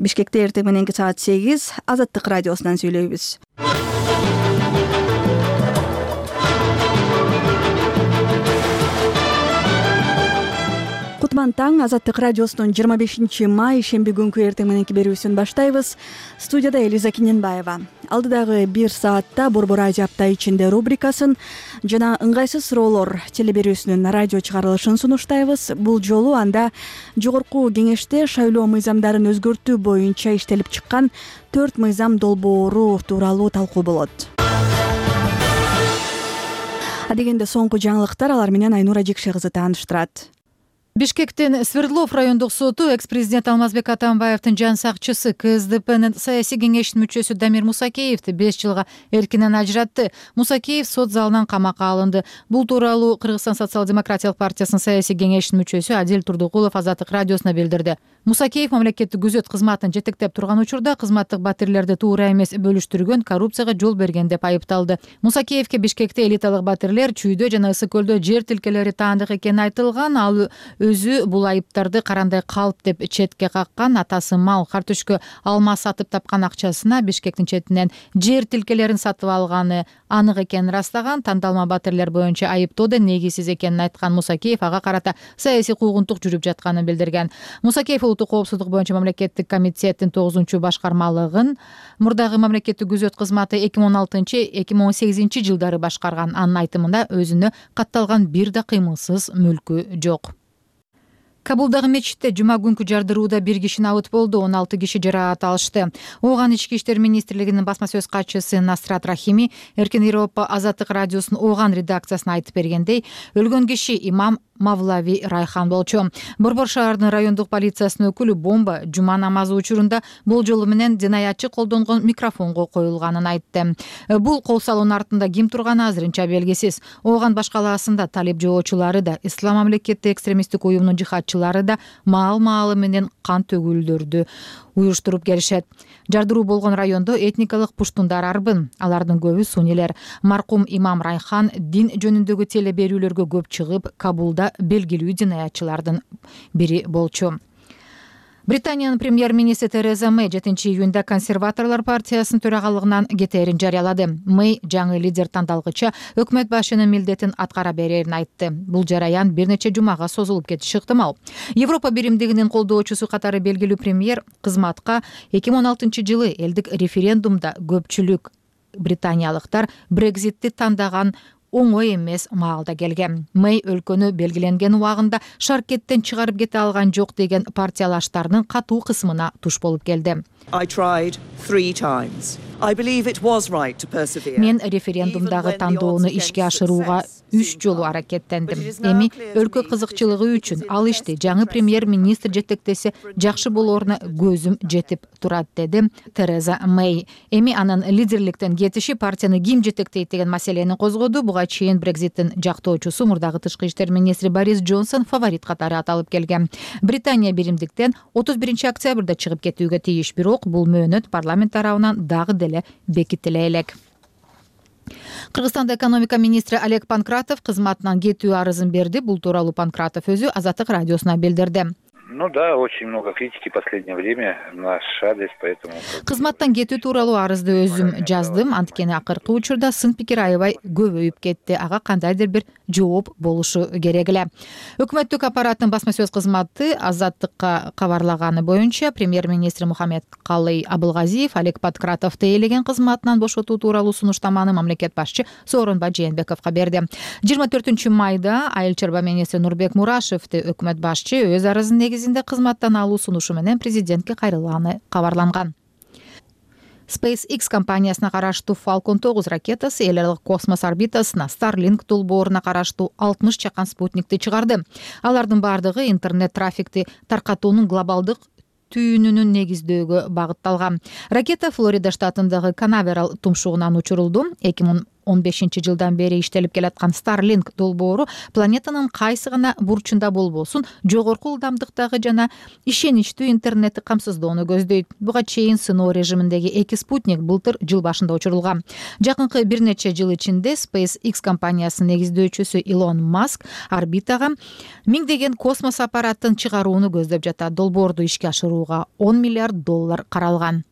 Бишкекте эртең мененки саат 8 Азаттык радиосунан сүйлөйбүз. Кутман таң, Азаттык радиосунун 25 май шемби күнкү эртең мененки берүүсүн баштайбыз. Студияда Элиза Киненбаева. Алдыдагы 1 саатта Борбор Азия апта ичинде рубрикасын жана ыңгайсыз суроолор телеберүүсүнүн радио чыгарылышын сунуштайбыз. Бул жолу анда жогорку кеңеште шайлоо мыйзамдарын өзгөртүү боюнча иштелип чыккан 4 мыйзам долбоору тууралуу талкуу болот. Адегенде соңку жаңылыктар, алар менен Айнура Жекше кызы тааныштырат. Бишкектин Свердлов райондук соту экс-президент Алмазбек Атамбаевдин жан сакчысы КСДПнын саясий кеңешинин мүчөсү Дамир Мусакеевди 5 жылга эркинен ажыратты. Мусакеев сот залынан камакка алынды. Бул тууралуу Кыргызстан социал-демократиялык партиясынын саясий кеңешинин мүчөсү Адил Турдукулов Азаттык радиосуна билдирди. Мусакеев мамлекеттик күзөт кызматын жетектеп турган учурда кызматтык батирлерди туура эмес бөлүштүргөн, коррупцияга жол берген деп айыпталды. Мусакеевке Бишкекте элиталык батирлер Чүйдө жана Ысык көлдө жер тилкелери таандык экени айтылган. Ал өзү бул айыптарды карандай калп деп четке каккан. Атасы мал картөшкө алма сатып тапкан акчасына Бишкектин четинен жер тилкелерин сатып алганы анык экенин растаган. Тандалма батирлер боюнча айыптоодо негизсиз экенин айткан Мусакеев ага карата саясий куугунтук жүрүп жатканын билдирген. Мусакеев улуттук коопсуздук боюнча мамлекеттик комитеттин 9-башкармалыгын, мурдагы мамлекеттик күзөт кызматы 2016-2018 жылдары башкарган. Анын айтымында өзүнө катталган бир да кыймылсыз мүлкү жок. Кабулдагы мечитте жума күнкү жардырууда 1 киши набыт болду, 16 киши жараат алышты. Ооган Ички иштер министрлигинин басма сөз катчысы Насрат Рахими Эркин Европа Азаттык радиосунун Ооган редакциясына айтып бергендей, өлгөн киши имам Мавлави Райхан болчу. Борбор шаарынын райондук полициясынын өкүлү бомба жума намазы учурунда болжолу менен динаятчы колдонгон микрофонго коюлганын айтты. Бул кол салуунун артында ким турганы азырынча белгисиз. Ооган баш калаасында талип жоочулары да, ислам мамлекети экстремисттик уюмунун жихадчылары да маал-маалы менен кан төгүүлдөрдү уюштуруп келишет. Жардыруу болгон райондо этникалык пуштундар арбын. Алардын көбү суннилер. Маркум имам Райхан дин жөнүндөгү теле берүүлөргө көп чыгып, Кабулда белгилүү динаятчылардын бири болчу. Британиянын премьер-министри Тереза Мэй 7-июнда консерваторлор партиясынын төрагалыгынан кетээрин жарыялады. Мэй жаңы лидер тандалгыча өкмөт башчынын милдетин аткара берерин айтты. Бул жараян бир нече жумага созулуп кетиши ыктымал. Европа биримдигинин колдоочусу катары белгилүү премьер кызматка 2016-жылы элдик референдумда көпчүлүк британиялыктар Брекзитти тандаган оңой эмес маалда келген. Мэй өлкөнү белгиленген убагында шаркеттен чыгарып кете алган жок деген партиялаштарынын катуу кысымына туш болуп келди. Мен референдумдагы тандоону ишке ашырууга 3 жолу аракеттендим. Эми өлкө кызыкчылыгы үчүн ал ишти жаңы премьер-министр жетектесе жакшы болоруна көзүм жетип турат, деди Тереза Мэй. Эми анын лидерликтен кетиши партияны ким жетектейт деген маселени козгоду. Буга чейин Брекзиттин жактоочусу мурдагы тышкы иштер министри Борис Джонсон фаворит катары аталып келген. Британия биримдиктен 31-октябрда чыгып кетүүгө тийиш, бирок бул мөөнөт парламент тарабынан дагы деле бекитиле элек. Кыргызстанда экономика министри Олег Панкратов кызматынан кетүү арызын берди. Бул тууралуу Панкратов өзү Азаттык радиосуна билдирди. Да, очень много критики в последнее время наш адрес, поэтому... Кызматтан кетүү тууралуу арызды өзүм жаздым. Анткени акыркы учурда сын пикир аябай көбөйүп кетти. Ага кандайдыр бир жооп болушу керек эле. Өкмөттүк аппараттын басма сөз кызматы Азаттыкка кабарлаганы боюнча премьер-министр Мухаммедкалый Абылгазиев Олег Панкратовду ээлеген кызматынан бошотуу тууралуу сунуштаманы мамлекет башчы Сооронбай Жээнбековго берди. 24 майда айыл чарба министри Нурбек Мурашевди өкмөт башчы өз арызынын негизинде кызматтан алуу сунушу менен президентке кайрылганы кабарланган. SpaceX компаниясына караштуу Falcon 9 ракетасы эл аралык космос орбитасына Starlink долбооруна караштуу 60 чакан спутникти чыгарды. Алардын бардыгы интернет трафикти таркатуунун глобалдык түйүнүнүн негиздөөгө багытталган. Ракета Флорида штатындагы Канаверал тумшугунан учурулду. 2015-жылдан бери иштелип келаткан Starlink долбоору планетанын кайсы гана бурчунда болбосун жогорку ылдамдыктагы жана ишеничтүү интернетти камсыздоону көздөйт. Буга чейин сыноо режиминдеги 2 спутник былтыр жыл башында учурулган. Жакынкы бир нече жыл ичинде SpaceX компаниясынын негиздөөчүсү Илон Маск орбитага миңдеген космос аппаратын чыгарууну көздөп жатат. Долбоорду ишке ашырууга $10 миллиард каралган.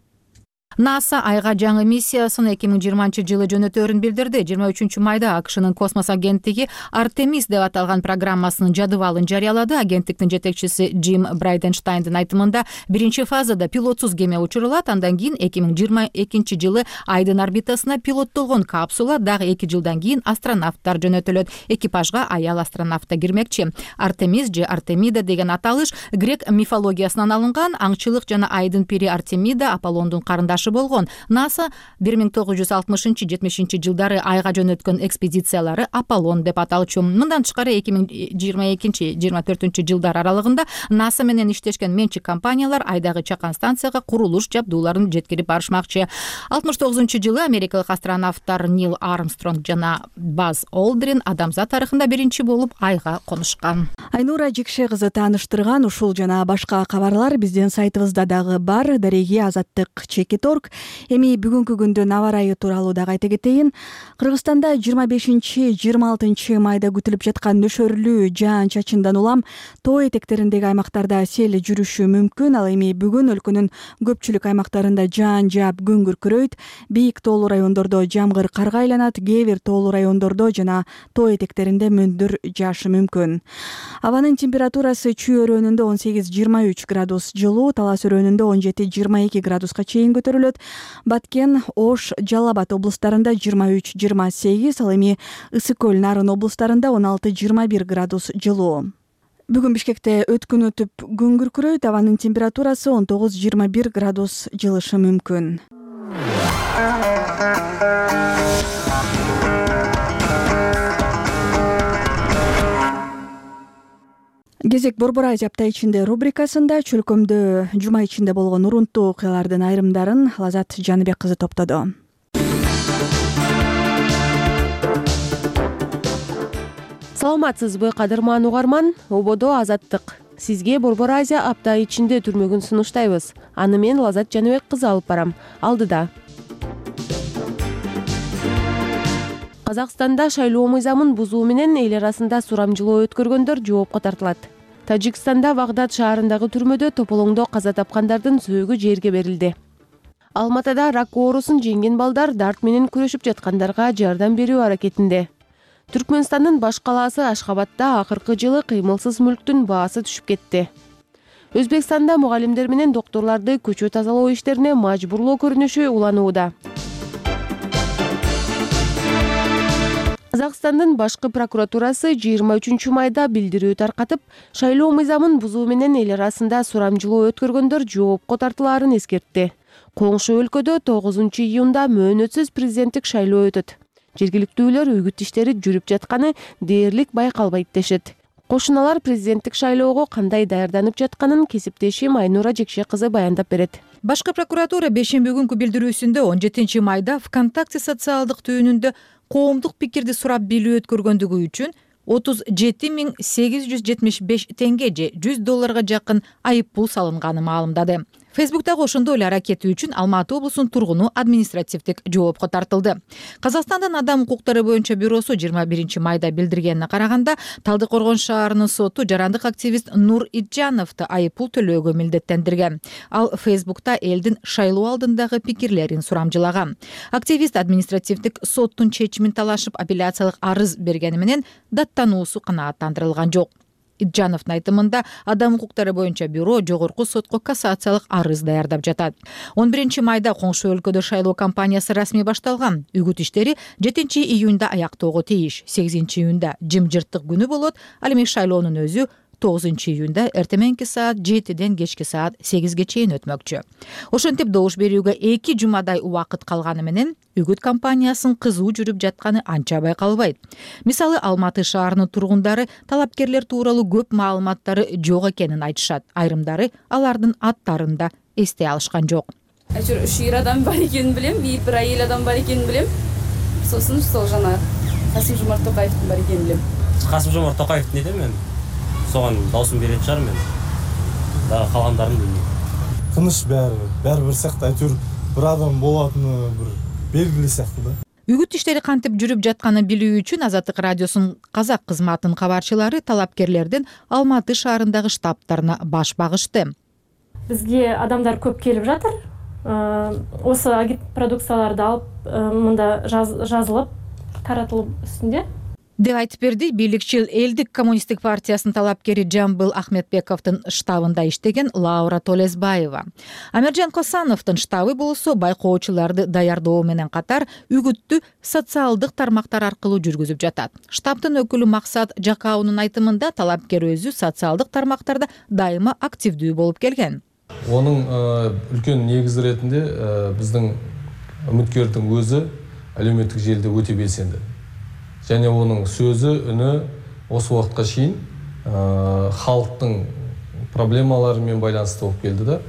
НАСА айга жаңы миссиясын 2020 жылы жөнөтөөрүн билдирди. 23 майда АКШнын космос агенттиги Артемис деп аталган программасынын жадыбалын жарыялады. Агенттиктин жетекчиси Джим Брайденштайндын айтымында биринчи фазада пилотсуз кеме учурулат. Андан кийин 2022 жылы Айдын орбитасына пилоттолгон капсула, дагы 2 жылдан кийин астронавттар жөнөтүлөт. Экипажга аял астронавт да кирмекчи. Артемис же Артемида деген аталыш грек мифологиясынан алынган. Аңчылык жана Айдын пири Артемида Аполлондун карындашы болгон. НАСА 1960-70 жылдары айга жөнөткөн экспедициялары Аполлон деп аталчу. Мындан тышкары 2022-24 жылдар аралыгында НАСА менен иштешкен менчик компаниялар айдагы чакан станцияга курулуш жабдууларын жеткирип барышмакчы. 69-жылы америкалык астронавттар Нил Армстронг жана Баз Олдрин адамзат тарыхында биринчи болуп айга конушкан. Айнура Жикше кызы тааныштырган ушул жана башка кабарлар биздин сайтыбызда дагы бар. Дареги Азаттык Чекиторг. Эми бүгүнкү күндүн аба ырайы тууралуу дагы айта кетейин. Кыргызстанда 25-26 майда күтүлүп жаткан нөшөрлүү жаан-чачындан улам тоо этектериндеги аймактарда сел жүрүшү мүмкүн. Ал эми бүгүн өлкөнүн көпчүлүк аймактарында жаан жаап күн күркүрөйт. Бийик тоолуу райондордо жамгыр карга айланат. Кээ бир тоолуу райондордо жана тоо этектеринде мөндүр жаашы мүмкүн. Абанын температурасы Чүй өрөөнүндө 18-23 градус жылуу, Талас өрөөнүндө 17-22 градуска чейин көтөрүлөт. Баткен, Ош, Жалал Абад облустарында 23-28, ал эми Ысык көл, Нарын облустарында 16-21 градус жылуу. Бүгүн Бишкекте өткүн өтүп күн күркүрөйт. Абанын температурасы 19-21 градус жылышы мүмкүн. Кезек Борбор Азия апта ичинде рубрикасында чөлкөмдө жума ичинде болгон урунттуу окуялардын айрымдарын Лазат Жаныбек кызы топтоду. Саламатсызбы, кадырман угарман? Ободо Азаттык. Сизге Борбор Азия апта ичинде түрмөгүн сунуштайбыз. Аны мен Лазат Жаныбек кызы алып барам. Алдыда. Казакстанда шайлоо мыйзамын бузуу менен эл арасында сурамжылоо өткөргөндөр жоопко тартылат. Тажикстанда Багдад шаарындагы түрмөдө тополоңдо каза тапкандардын сөөгү жерге берилди. Алматада рак оорусун жеңген балдар дарт менен күрөшүп жаткандарга жардам берүү аракетинде. Түркмөнстандын баш калаасы Ашхабадда акыркы жылы кыймылсыз мүлктүн баасы түшүп кетти. Өзбекстанда мугалимдер менен докторлорду көчө тазалоо иштерине мажбурлоо көрүнүшү уланууда. Казакстандын башкы прокуратурасы 23 майда билдирүү таркатып, шайлоо мыйзамын бузуу менен эл арасында сурамжылоо өткөргөндөр жоопко тартылаарын эскертти. Коңшу өлкөдө 9 июнда мөөнөтсүз президенттик шайлоо өтөт. Жергиликтүүлөр үгүт иштери жүрүп жатканы дээрлик байкалбайт дешет. Кошуналар президенттик шайлоого кандай даярданып жатканын кесиптешим Айнура Жекше кызы баяндап берет. Башкы прокуратура бешемби күнкү билдирүүсүндө 17 майда ВКонтакте социалдык түйүнүндө коомдук пикирди сурап билүү өткөргөндүгү үчүн 37.875 тенге же $100 жакын айып пул салынганы маалымдады. Фейсбуктагы ошондой эле аракети үчүн Алматы облусунун тургуну административдик жоопко тартылды. Казакстандын адам укуктары боюнча бюросу 21 майда билдиргенине караганда, Талдыкоргон шаарынын соту жарандык активист Нур Итжановду айып пул төлөөгө милдеттендирген. Ал Фейсбукта элдин шайлоо алдындагы пикирлерин сурамжылаган. Активист административдик соттун чечимин талашып апелляциялык арыз бергени менен даттануусу канааттандырылган жок. Итжановдун айтымында адам укуктары боюнча бюро жогорку сотко кассациялык арыз даярдап жатат. 11 майда коңшу өлкөдө шайлоо кампаниясы расмий башталган. Үгүт иштери 7 июнда аяктоого тийиш. 8 июнда жымжырттык күнү болот. Ал эми шайлоонун өзү 9 июнда эртеменки саат 7ден кечки саат 8ге чейин өтмөкчү. Ошентип добуш берүүгө 2 жумадай убакыт калганы менен үгүт кампаниясынын кызуу жүрүп жатканы анча байкалбайт. Мисалы, Алматы шаарынын тургундары талапкерлер тууралуу көп маалыматтары жок экенин айтышат. Айрымдары алардын аттарын да эстей алышкан жок. Үч эр адам бар экенин билем, бир айыл адам бар экенин билем. сосын сол жана Касым-Жомарт Токаевдин бар экенин билем. Касым-Жомарт Токаев не дейм мен? Согон даусун берет чар мен. Дагы калгандарын билбейм. Тыныч баары бир сыяктуу айтыр бир адам болатыны бир белгилүү сыяктуу да. Үгүт иштери кантип жүрүп жатканын билүү үчүн Азаттык радиосунун казак кызматынын кабарчылары талапкерлердин Алматы шаарындагы штабтарына баш багышты. Бизге адамдар көп келип жатыр. Осы агитпродукцияларды алып мында жазылып таратылып үстүндө деп айтып берди бийликчил Элдик коммунисттик партиясынын талапкери Жамбыл Ахметбековдун штабында иштеген Лаура Толесбаева. Амиржан Косановдун штабы болсо байкоочуларды даярдоо менен катар үгүттү социалдык тармактар аркылуу жүргүзүп жатат. Штабдын өкүлү Максат Жакаунун айтымында талапкер өзү социалдык тармактарда дайыма активдүү болуп келген. Онун үлкөн негизи иретинде биздин үмүткөрдүн өзү әлеуметтик желиде өтө белсенди. Және оның сөзі, үні осы уақытқа шейін халықтың проблемаларымен байланысты болып келді да.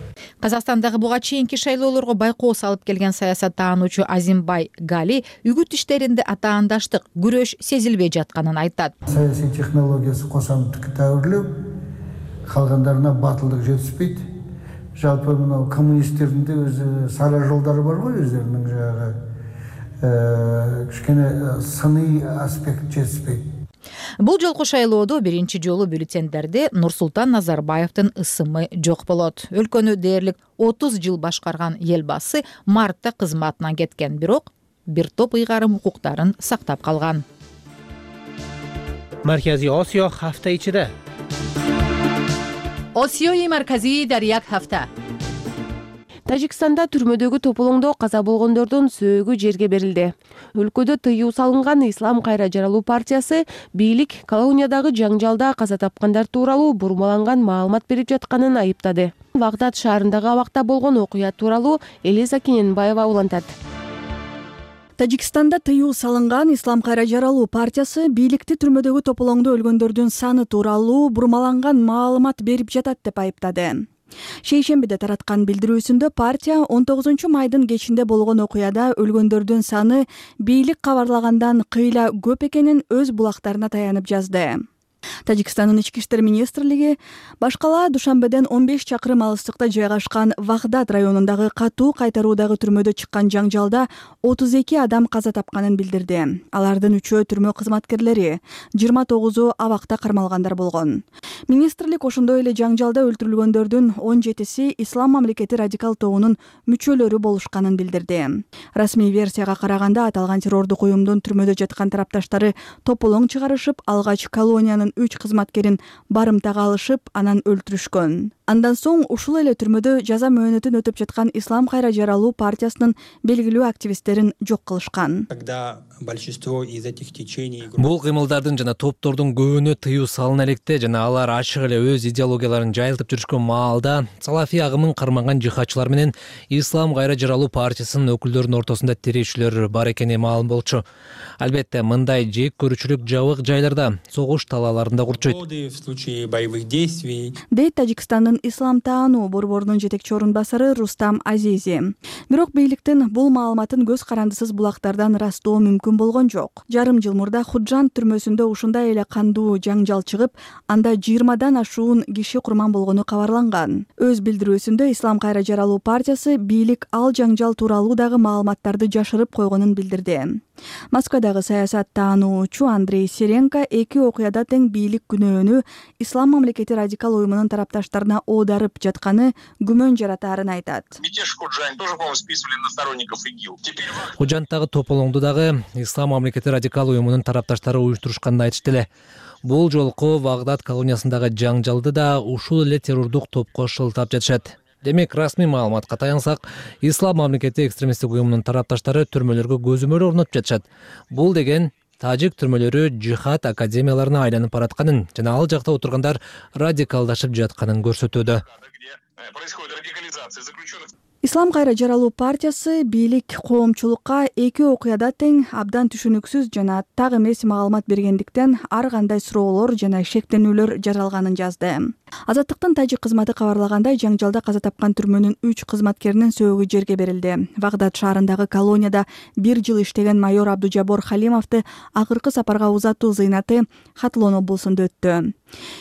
Казакстандагы буга чейинки шайлоолорго байкоо салып келген саясаттаануучу Азимбай Гали үгүт иштеринде атаандаштык, күрөш сезилбей жатканын айтат. Саясий технологиясы кошомтук тәуірлеу, калгандарына батылдык жетишпейт. Жалпы мына коммунисттердин де өзү сара жолдары бар ғой, өздеринин жагы кичкене сыний аспект жетишпейт. Бул жолку шайлоодо биринчи жолу бюллетендерде Нурсултан Назарбаевдин ысымы жок болот. Өлкөнү дээрлик 30 жыл башкарган элбасы мартта кызматынан кеткен, бирок бир топ ыйгарым укуктарын сактап калган. Марказий Осиё хафта ичиде. Осиёи марказии дар як хафта. Тажикстанда түрмөдөгү тополоңдо каза болгондордун сөөгү жерге берилди. Өлкөдө тыюу салынган Ислам кайра жаралуу партиясы бийлик колониядагы жаңжалда каза тапкандар тууралуу бурмаланган маалымат берип жатканын айыптады. Вагдат шаарындагы абакта болгон окуя тууралуу Элиза Кененбаева улантат. Тажикстанда тыюу салынган Ислам кайра жаралуу партиясы бийликти түрмөдөгү тополоңдо өлгөндөрдүн саны тууралуу бурмаланган маалымат берип жатат деп айыптады. Шейшембиде тараткан билдирүүсүндө партия 19 майдын кечинде болгон окуяда өлгөндөрдүн саны бийлик кабарлагандан кыйла көп экенин өз булактарына таянып жазды. Тажикстандын ички иштер министрлиги башкала Душанбеден 15 чакырым алыстыкта жайгашкан Вагдат районундагы катуу кайтаруудагы түрмөдө чыккан жаңжалда 32 адам каза тапканын билдирди. Алардын 3-өө түрмө кызматкерлери, 29-у абакта кармалгандар болгон. Министрлик ошондой эле жаңжалда өлтүрүлгөндөрдүн 17си Ислам мамлекети радикал тобунун мүчөлөрү болушканын билдирди. Расмий версияга караганда аталган террордук уюмдун түрмөдө жаткан тарапташтары тополоң чыгарышып, алгач колониянын 3 кызматкерин барымтага алышып, анан өлтүрүшкөн. Андан соң ушул эле түрмөдө жаза мөөнөтүн өтүп жаткан Ислам кайра жаралуу партиясынын белгилүү активисттерин жок кылышкан. Бул кыймылдардын жана топтордун көбүнө тыюу салына электе жана алар ачык эле өз идеологияларын жайылтып жүрүшкөн маалда салафи агымын карманган жихадчылар менен Ислам кайра жаралуу партиясынын өкүлдөрүнүн ортосунда тирешүүлөр бар экени маалым болчу. Албетте, мындай жек көрүүчүлүк жабык жайларда, согуш талааларында курчойт. Дейт Тажикстандын ислам таануу борборунун жетекчи орун басары Рустам Азизи. Бирок бийликтин бул маалыматын көз карандысыз булактардан ырастоо мүмкүн болгон жок. Жарым жыл мурда Худжан түрмөсүндө ушундай эле кандуу жаңжал чыгып, анда 20дан ашуун киши курман болгону кабарланган. Өз билдирүүсүндө Ислам кайра жаралуу партиясы бийлик ал жаңжал тууралуу дагы маалыматтарды жашырып койгонун билдирди. Москвадагы саясаттаануучу Андрей Серенко эки окуяда тең бийлик күнөөнү Ислам мамлекети радикал уюмунун тарапташтарына оодарып жатканы күмөн жаратаарын айтат. Худжандагы тополоңду дагы Ислам мамлекети радикал уюмунун тарапташтары уюштурушканын айтышты эле. Бул жолку Вагдат колониясындагы жаңжалды да ушул эле террордук топко шылтап жатышат. Демек, расмий маалыматка таянсак, Ислам мамлекети экстремисттик уюмунун тарапташтары түрмөлөргө көзөмөл орнотуп жатышат. Бул деген тажик түрмөлөрү жихад академияларына айланып баратканын жана ал жакта отургандар радикалдашып жатканын көрсөтүүдө. Ислам кайра жаралуу партиясы бийлик коомчулукка эки окуяда тең абдан түшүнүксүз жана так эмес маалымат бергендиктен ар кандай суроолор жана шектенүүлөр жаралганын жазды. Азаттыктын тажик кызматы кабарлагандай, жаңжалда каза тапкан түрмөнүн 3 кызматкеринин сөөгү жерге берилди. Багдад шаарындагы колонияда 1 жыл иштеген майор Абдужабор Халимовду акыркы сапарга узатуу зыйнаты Хатлон облусунда өттү.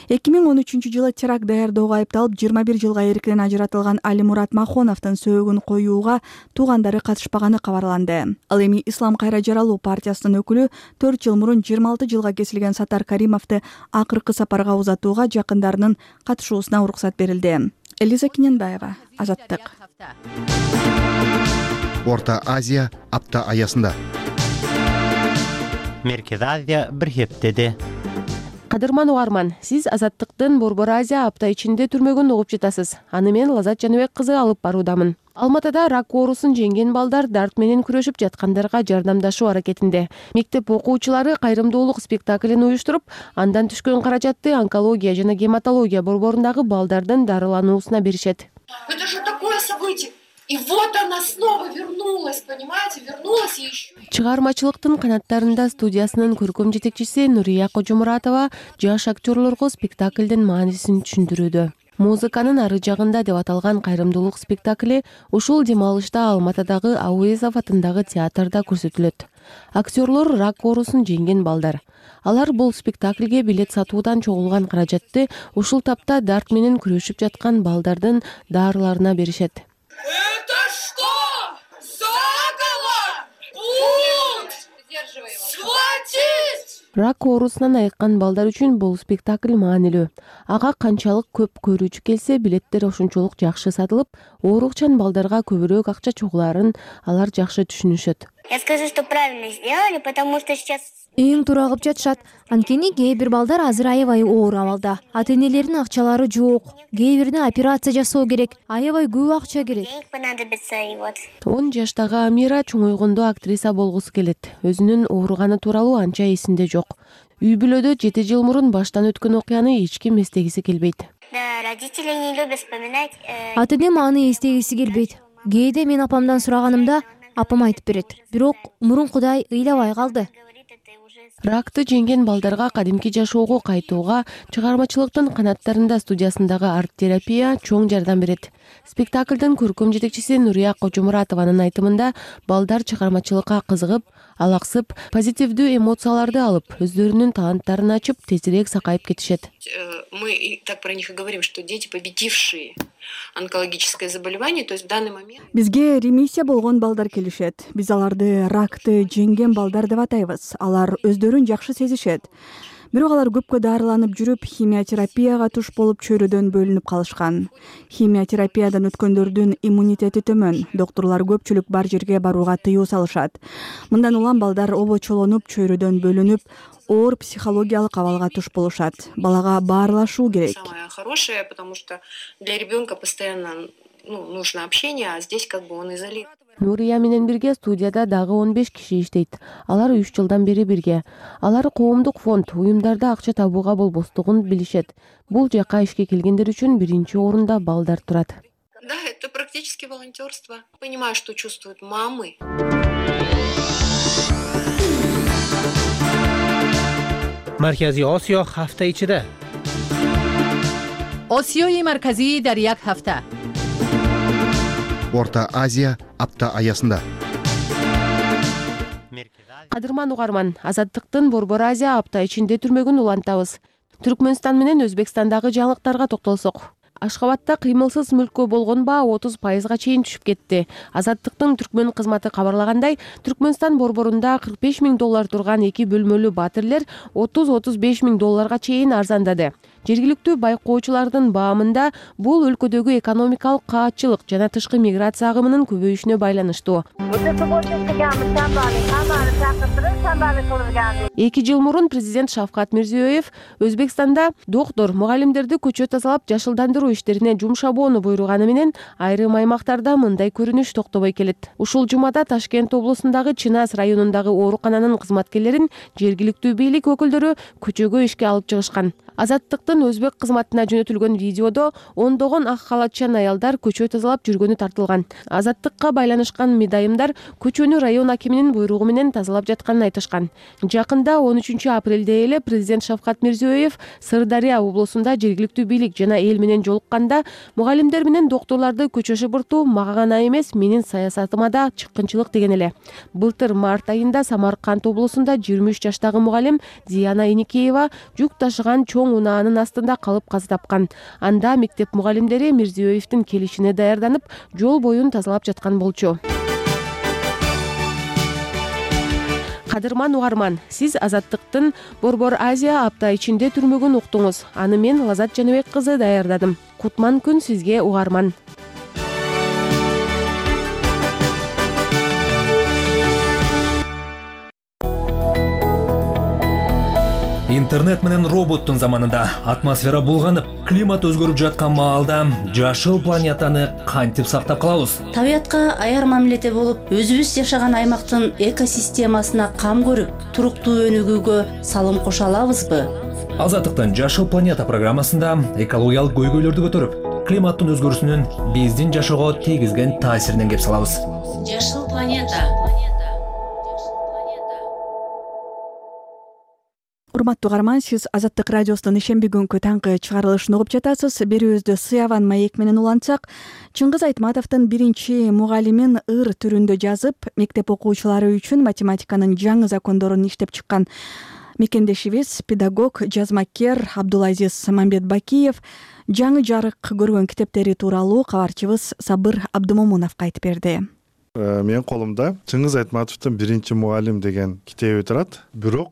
2013-жылы теракт даярдоого айыпталып 21 жылга эркинен ажыратылган Алимурат Махоновдун сөөгүн коюуга туугандары катышпаганы кабарланды. Ал эми Ислам кайра жаралуу партиясынын өкүлү 4 жыл мурун 26 жылга кесилген Сатар Каримовду акыркы сапарга узатууга жакындарынын катышуусуна уруксат берилди. Элиза Киненбаева, Азаттык. Орто Азия апта аясында. Меркез Азия бир хептеди. Кадырман угарман, сиз Азаттыктын Борбор Азия апта ичинде түрмөгүн угуп жатасыз. Аны мен Лазат Жаныбек кызы алып баруудамын. Алматыда рак оорусун жеңген балдар дарт менен күрөшүп жаткандарга жардамдашуу аракетинде. Мектеп окуучулары кайрымдуулук спектаклин уюштуруп, андан түшкөн каражатты онкология жана гематология борборундагы балдардын дарылануусуна беришет. Это же такое событие. И вот она снова вернулась, понимаете, вернулась и еще. Чыгармачылыктын канаттарында студиясынын көркөм жетекчиси Нурия Кожомуратова жаш актерлорго спектаклдин маанисин түшүндүрүүдө. Музыканын ары жагында деп аталган кайрымдуулук спектакли ушул дем алышта Алматыдагы Ауезов атындагы театрда көрсөтүлөт. Актерлор рак оорусун жеңген балдар. Алар бул спектаклге билет сатуудан чогулган каражатты ушул тапта дарт менен күрөшүп жаткан балдардын дарыларына беришет. Это что? Заговор! Бунт! Схватить! Рак оорусунан айыккан балдар үчүн бул спектакль маанилүү. Ага канчалык көп көрүүчү келсе, билеттер ошончолук жакшы сатылып, оорукчан балдарга көбүрөөк акча чогуларын алар жакшы түшүнүшөт. Я скажу, что правильно сделали, потому что сейчас эң туура кылып жатышат. Анткени кээ бир балдар азыр аябай оор абалда. Ата-энелеринин акчалары жок. Кээ бирине операция жасоо керек. Аябай көп акча керек. 10 жаштагы Амира чоңойгондо актриса болгусу келет. Өзүнүн ооруганы тууралуу анча эсинде жок. Үй бүлөдө 7 жыл мурун баштан өткөн окуяны эч ким эстегиси келбейт. родители не любят вспоминать. Ата-энем аны эстегиси келбейт. Кээде мен апамдан сураганымда апам айтып берет. Бирок мурункудай ыйлабай калды. Ракты жеңген балдарга кадимки жашоого кайтууга чыгармачылыктын канаттарында студиясындагы арт-терапия чоң жардам берет. Спектаклдын көркөм жетекчиси Нурия Кожомуратованын айтымында балдар чыгармачылыкка кызыгып, алаксып, позитивдүү эмоцияларды алып, өздөрүнүн таланттарын ачып, тезирээк сакайып кетишет. Мы так про них и говорим, что дети, победившие онкологическое заболевание, то есть в данный момент... Бизге ремиссия болгон балдар келишет. Биз аларды ракты жеңген балдар деп атайбыз. Алар өздөрүн жакшы сезишет. Бирок алар көпкө дарыланып жүрүп, химиотерапияга туш болуп чөйрөдөн бөлүнүп калышкан. Химиотерапиядан өткөндөрдүн иммунитети төмөн. Докторлор көпчүлүк бар жерге барууга тыюу салышат. Мындан улам балдар обочолонуп, чөйрөдөн бөлүнүп, оор психологиялык абалга туш болушат. Балага баарлашуу керек. Самое хорошее, потому что для ребенка постоянно нужно общение, а здесь как бы он изолирован. Нурия менен бирге студияда дагы 15 киши иштейт. Алар 3 жылдан бери бирге. Алар коомдук фонд, уюмдарда акча табууга болбостугун билишет. Бул жака ишке келгендер үчүн биринчи орунда балдар турат. Да, это практически волонтерство. Понимаю, что чувствуют мамы. Маркази Осиё ҳафта ичида. Осиёи марказӣ дар як ҳафта. Орто Азия апта аясында. Кадырман угарман, Азаттыктын Борбор Азия апта ичинде түрмөгүн улантабыз. Түркмөнстан менен Өзбекстандагы жаңылыктарга токтолсок. Ашхабадда кыймылсыз мүлккө болгон баа 30%га чейин түшүп кетти. Азаттыктын Түркмөн кызматы кабарлагандай, Түркмөнстан борборунда $45 000 турган 2 бөлмөлүү батирлер $30-35 000 чейин арзандады. Жергиликтүү байкоочулардын баамында бул өлкөдөгү экономикалык каатчылык жана тышкы миграция агымынын көбөйүшүнө байланыштуу. 2 жыл мурун президент Шавкат Мирзиёев Өзбекстанда доктор, мугалимдерди көчө тазалап жашылдандыруу иштерине жумшабоону буйруганы менен айрым аймактарда мындай көрүнүш токтобой келет. Ушул жумада Ташкент облусундагы Чынас районундагы оорукананын кызматкерлерин жергиликтүү бийлик өкүлдөрү көчөгө ишке алып чыгышкан. Азаттыктын өзбек кызматына жөнөтүлгөн видеодо ондогон ак халатчан аялдар көчө тазалап жүргөнү тартылган. Азаттыкка байланышкан мыйдайымдар көчөнү район акиминин буйругу менен тазалап жатканын айтышкан. Жакында 13 апрелде эле президент Шавкат Мирзиёев Сырдария облусунда жергиликтүү бийлик жана эл менен жолукканда мугалимдер менен докторлорду көчө шыбыртуу мага гана эмес, менин саясатыма да чыккынчылык деген эле. Былтыр март айында Самарканд облусунда 23 жаштагы мугалим Зияна Эникеева жүк ташыган чоң унаанын астында калып каза тапкан. Анда мектеп мугалимдери Мирзиёевдин келишине даярданып, жол боюн тазалап жаткан болчу. Кадырман угарман, сиз Азаттыктын Борбор Азия апта ичинде түрмөгүн уктуңуз. Аны мен Лазат Жаныбек кызы даярдадым. Кутман күн сизге угарман. Интернет менен роботтун заманында атмосфера булганып, климат өзгөрүп жаткан маалда жашыл планетаны кантип сактап калабыз? Табиятка аяр мамиледе болуп, өзүбүз жашаган аймактын экосистемасына кам көрүп, туруктуу өнүгүүгө салым кошо алабызбы? Азаттыктын Жашыл планета программасында экологиялык көйгөйлөрдү көтөрүп, климаттын өзгөрүүсүнүн биздин жашоого тийгизген таасиринен кеп салабыз. Жашыл планета. Урматтуу угарман, сиз Азаттык радиосунун ишемби күнкү таңкы чыгарылышын угуп жатасыз. Берүүбүздү сыяван маек менен улантсак, Чыңгыз Айтматовдун биринчи мугалимин ыр түрүндө жазып, мектеп окуучулары үчүн математиканын жаңы закондорун иштеп чыккан мекендешибиз педагог, жазмакер Абдулазиз Мамбетбакиев жаңы жарык көргөн китептери тууралуу кабарчыбыз Сабыр Абдымомуновго айтып берди. Менин колумда Чыңгыз Айтматовдун биринчи мугалим деген китеби турат. Бирок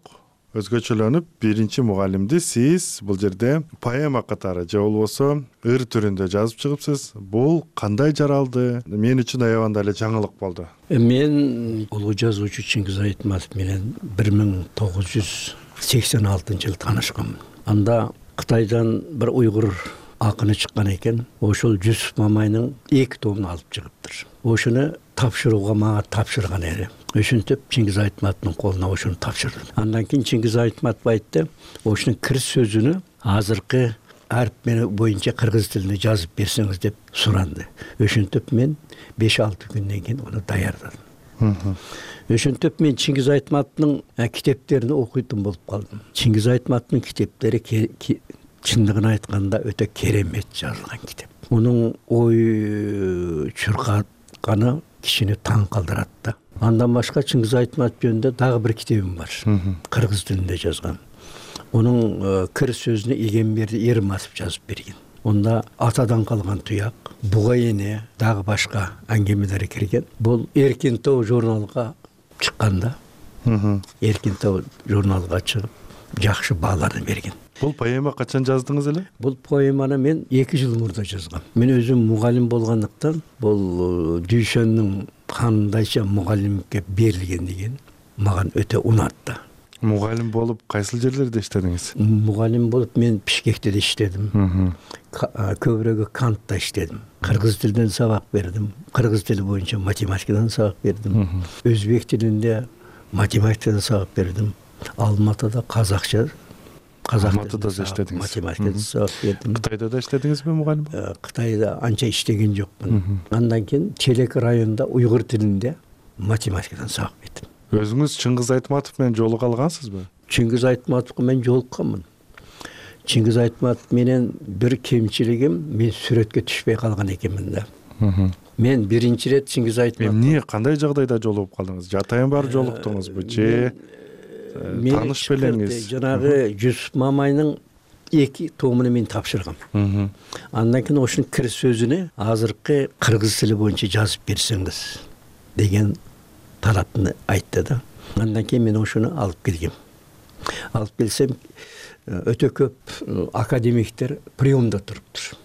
өзгөчөлөнүп биринчи мугалимди сиз бул жерде поэма катары же болбосо ыр түрүндө жазып чыгыпсыз. Бул кандай жаралды? Мен үчүн аябаганда эле жаңылык болду. Мен улуу жазуучу Чыңгыз Айтматов менен 1986 жылы таанышканмын. Анда Кытайдан бир уйгур акыны чыккан экен. Ошол Жүсүп Мамайнын 2 томун алып чыгыптыр. Ошону тапшырууга мага тапшырган эле. Ошентип Чыңгыз Айтматовдун колуна ошону тапшырдым. Андан кийин Чыңгыз Айтматов айтты, ошонун кир сөзүнү азыркы арп боюнча кыргыз тилинде жазып берсеңиз деп суранды. Ошентип мен 5-6 күндөн кийин аны даярдадым. Ошентип мен Чыңгыз Айтматовдун китептерин окуйтун болуп калдым. Чыңгыз Айтматовдун китептери чындыгын айтканда өтө керемет жазылган китеп. Мунун ой чуркатканы кишини таң калтырат да. Андан башка Чыңгыз Айтматов жөнүндө дагы бир китебим бар. Кыргыз тилинде жазган. Онун кир сөзүнө Игенберди Ермасов жазып берген. Онда атадан калган туяк, буга эне, дагы башка аңгемелер кирген. Бул Эркин Тоо журналга чыкканда, Эркин Тоо журналга чыгып, жакшы бааларды берген. Бул поэма качан жаздыңыз эле? Бул поэманы мен 2 жыл мурда жазгам. Мен өзүм мугалим болгондуктан бул Дүйшөнүн кандайча мугалимге берилген деген мага өтө унатты. Мугалим болуп кайсыл жерлерде иштедиңиз? Мугалим болуп мен Бишкекте да иштедим. Көбүрөөгү Кантта иштедим. Кыргыз тилинен сабак бердим. Кыргыз тили боюнча математикадан сабак бердим. Өзбек тилинде математикадан сабак бердим. Алматыда казакча Алматыда да иштедиңиз. Математикада сабак бердим. Кытайда да иштедиңизби мугалим? Кытайда анча иштеген жокмун. Андан кийин Челек районунда уйгур тилинде математикадан сабак бердим. Өзүңүз Чыңгыз Айтматов менен жолуга алгансызбы? Чыңгыз Айтматовго мен жолукканмын. Чыңгыз Айтматов менен бир кемчилигим, мен сүрөткө түшпөй калган экенмин да. Мен биринчи рет Чыңгыз Айтматов. Эмне, кандай жагдайда жолугуп калдыңыз? Жатайын бар жолуктуңузбу же тааныш белеңиз? Жанагы Жүсүп Мамайнын 2 томуну мен тапшыргам. Андан кийин ошонун кир сөзүнө азыркы кыргыз тили боюнча жазып берсеңиз деген талапты айтты да. Андан кийин мен ошону алып келгем. Алып келсем, өтө көп академиктер приемда туруптур.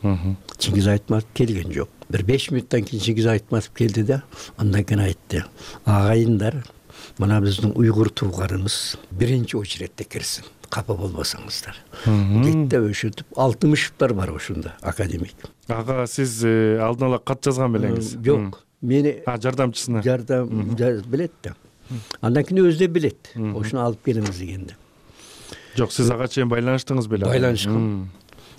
Чыңгыз Айтматов келген жок. Бир 5 мүнөттөн кийин Чыңгыз Айтматов келди да, андан кийин айтты: "Агайындар, мына биздин уйгур туугарыбыз биринчи очередте кирсин, капа болбосоңуздар." Кетти өшүтүп, Алтымышевдер бар ошондо, академик. Ага, сиз алдын ала кат жазган белеңиз? Жок. Мени жардамчысына. Жардам билет да. Андан кийин өзү да билет. Ошону алып келиңиз дегенде. Жок, сиз ага чейин байланыштыңыз беле? Байланышкам.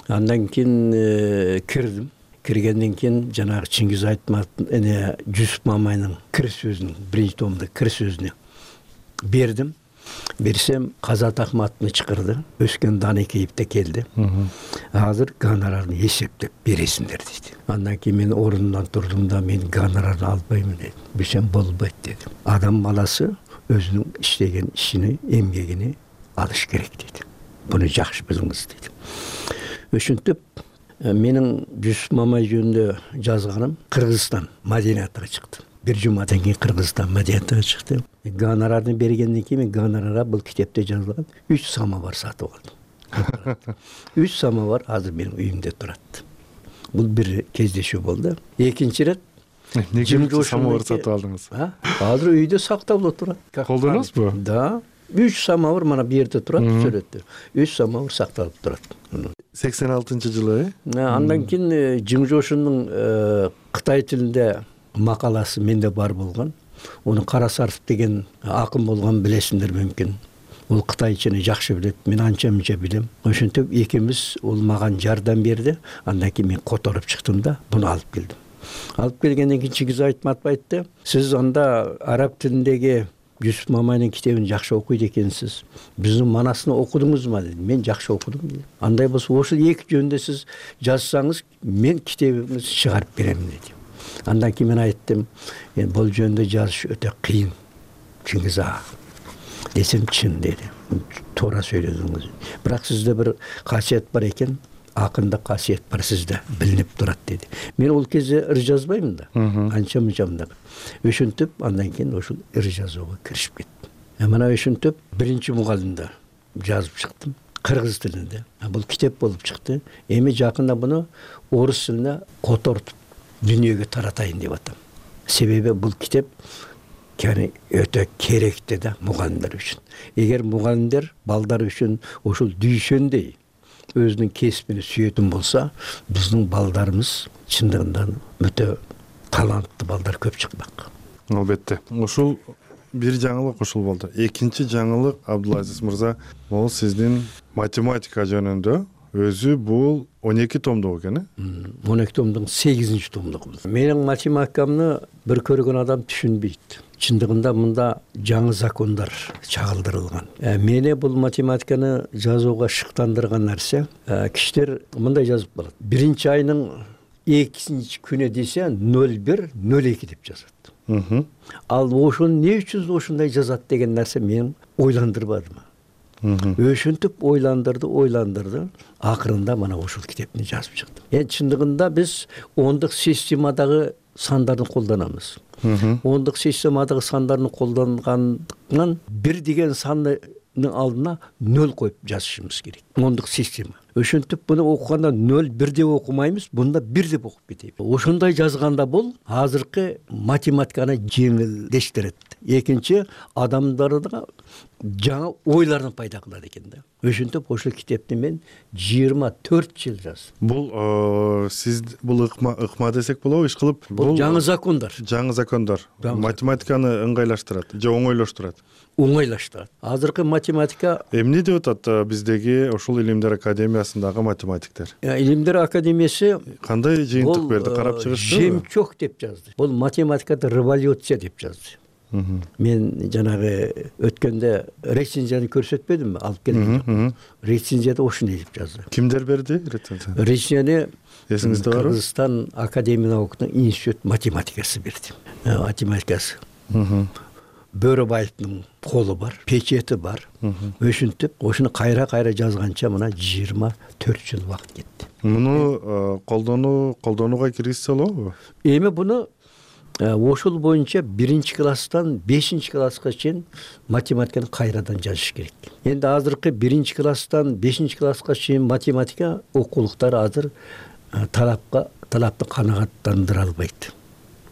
Андан кийин кирдим. Киргенден кийин жанагы Чыңгыз Айтматовдун эне Жүсүп Мамайнын кир сөзүнүн биринчи томдо кир сөзүнө бердим. Берсем Казат Акматовну чакырды. Өскөн Данекеевде келди. Азыр гонорарды эсептеп бересиңдер дейт. Андан кийин мен ордумдан турдум да, мен гонорарды албаймын дедим. Берсем болбойт дедим. Адам баласы өзүнүн иштеген ишини, эмгегини алыш керек дейт. Буну жакшы билиңиз дейт. Ошентип менин Жүсүп Мамай жөнүндө жазганым Кыргызстан маданиятына чыкты. Бир жумадан кийин Кыргызстан маданиятына чыкты. Гонорарды бергенден кийин гонорара бул китепте жазылган 3 самовар сатып алдым. 3 самовар азыр менин үйүмдө турат. Бул бир кездешүү болду. Экинчи ирет эмне самовар сатып алдыңыз? Азыр үйдө сакталып турат. Колдоносузбу? Да. 3 самовар мана бу жерде турат, сүрөттө. 3 самовар сакталып турат. 86-жылы, Андан кийин Жың Жошундун Кытай тилинде макаласы менде бар болгон. Ону Карасаров деген акын болгон, билесиңдер мүмкүн. Ол кытайчаны жакшы билет, мен анча-мынча билем. Ошентип экибиз ол мага жардам берди. Андан кийин мен которуп чыктым да, буну алып келдим. Алып келгенден кийин Чыңгыз Айтматов айтты: "Сиз анда араб тилиндеги Жүсүп Мамайдын китебин жакшы окуйт экенсиз. Биздин манасын окудуңузбу?" деди. Мен жакшы окудум деди. Андай болсо ошол эки жөнүндө сиз жазсаңыз, мен китебиңизди чыгарып берем деди. Андан кийин мен айттым: "Бул жөнүндө жазыш өтө кыйын, Чыңгыз ага." Десем, чын деди. Туура сөйлөдүңүз. Бирок сизде бир касиет бар экен. Акында касиет бар сизде, билинип турат деди. Мен ол кезде ыр жазбаймын да. Анча-мынча. Ошентип, андан кийин ошол ыр жазууга киришип кеттим. Мына ошентип биринчи мугалимде жазып чыктым. Кыргыз тилинде. Бул китеп болуп чыкты. Эми жакында буну орус тилине котортуп дүйнөгө таратайын деп атам. Себеби бул китеп өтө керекти да мугалимдер үчүн. Эгер мугалимдер балдар үчүн ошол дүйшөндөй өзүнүн кесибини сүйөтүн болса, биздин балдарыбыз чындыгында өтө таланттуу балдар көп чыкпак. Албетте. Ушул бир жаңылык ушул болду. Экинчи жаңылык, Абдулазиз мырза, бул сиздин математика жөнүндө өзү бул 12 томдук экен, 12 томдун 8-чи томдугу. Менин математикамды бир көргөн адам түшүнбөйт. Чындыгында мында жаңы закондар чагылдырылган. Мени бул математиканы жазууга шыктандырган нерсе, кишилер мындай жазып калат. Биринчи айнын 2-чи күнү десе 01-02 деп жазат. Ал ошону эмне үчүн ошондой жазат деген нерсе мен ойландырбадым. Ошентип ойландырды. Акырында мана ошол китепти жазып чыктым. Чындыгында биз ондук системадагы сандарды колдонобуз. Ондук системадагы сандарды колдонгандыктан бир деген сандын алдына 0 коюп жазышыбыз керек. Ондук система. Ошентип буну окуганда 0-1 деп окумайбыз, бунда 1 деп окуп кетейбиз. Ошондой жазганда бул азыркы математиканы жеңилдештирет. Экинчи, адамдарда жаңы ойлорун пайда кылат экен да. Ошентип ошол китепти мен 24 жыл жаздым. Бул сиз бул ыкма десек болобу, иш кылып бул жаңы закондар. Жаңы закондар математиканы ыңгайлаштырат же оңойлоштурат? Оңойлаштырат. Азыркы математика эмне деп атат биздеги ошол илимдер академиясындагы математиктер? Илимдер академиясы кандай жыйынтык берди, карап чыгыштыбы? Жемчок деп жазды. Бул математикада революция деп жазды. Мен жанагы өткөндө рецензияны көрсөтпөдүмбү, алып келдим. Рецензияда ошондой деп жазды. Кимдер берди рецензияны? Рецензияны эсиңизде барбы? Кыргызстан Академия науканын институт математикасы берди. Математикасы. Бөрөбаевдин колу бар, печети бар. Ошентип, ошону кайра жазганча мына 24 жыл убакыт кетти. Муну колдонууга киргизсе болобу? Эми буну ошол боюнча 1-чи класстан 5-чи класска чейин математиканы кайрадан жазыш керек. Эndi азыркы 1-чи класстан 5-чи класска чейин математика окуулуктары азыр талапты канагаттандыра албайт.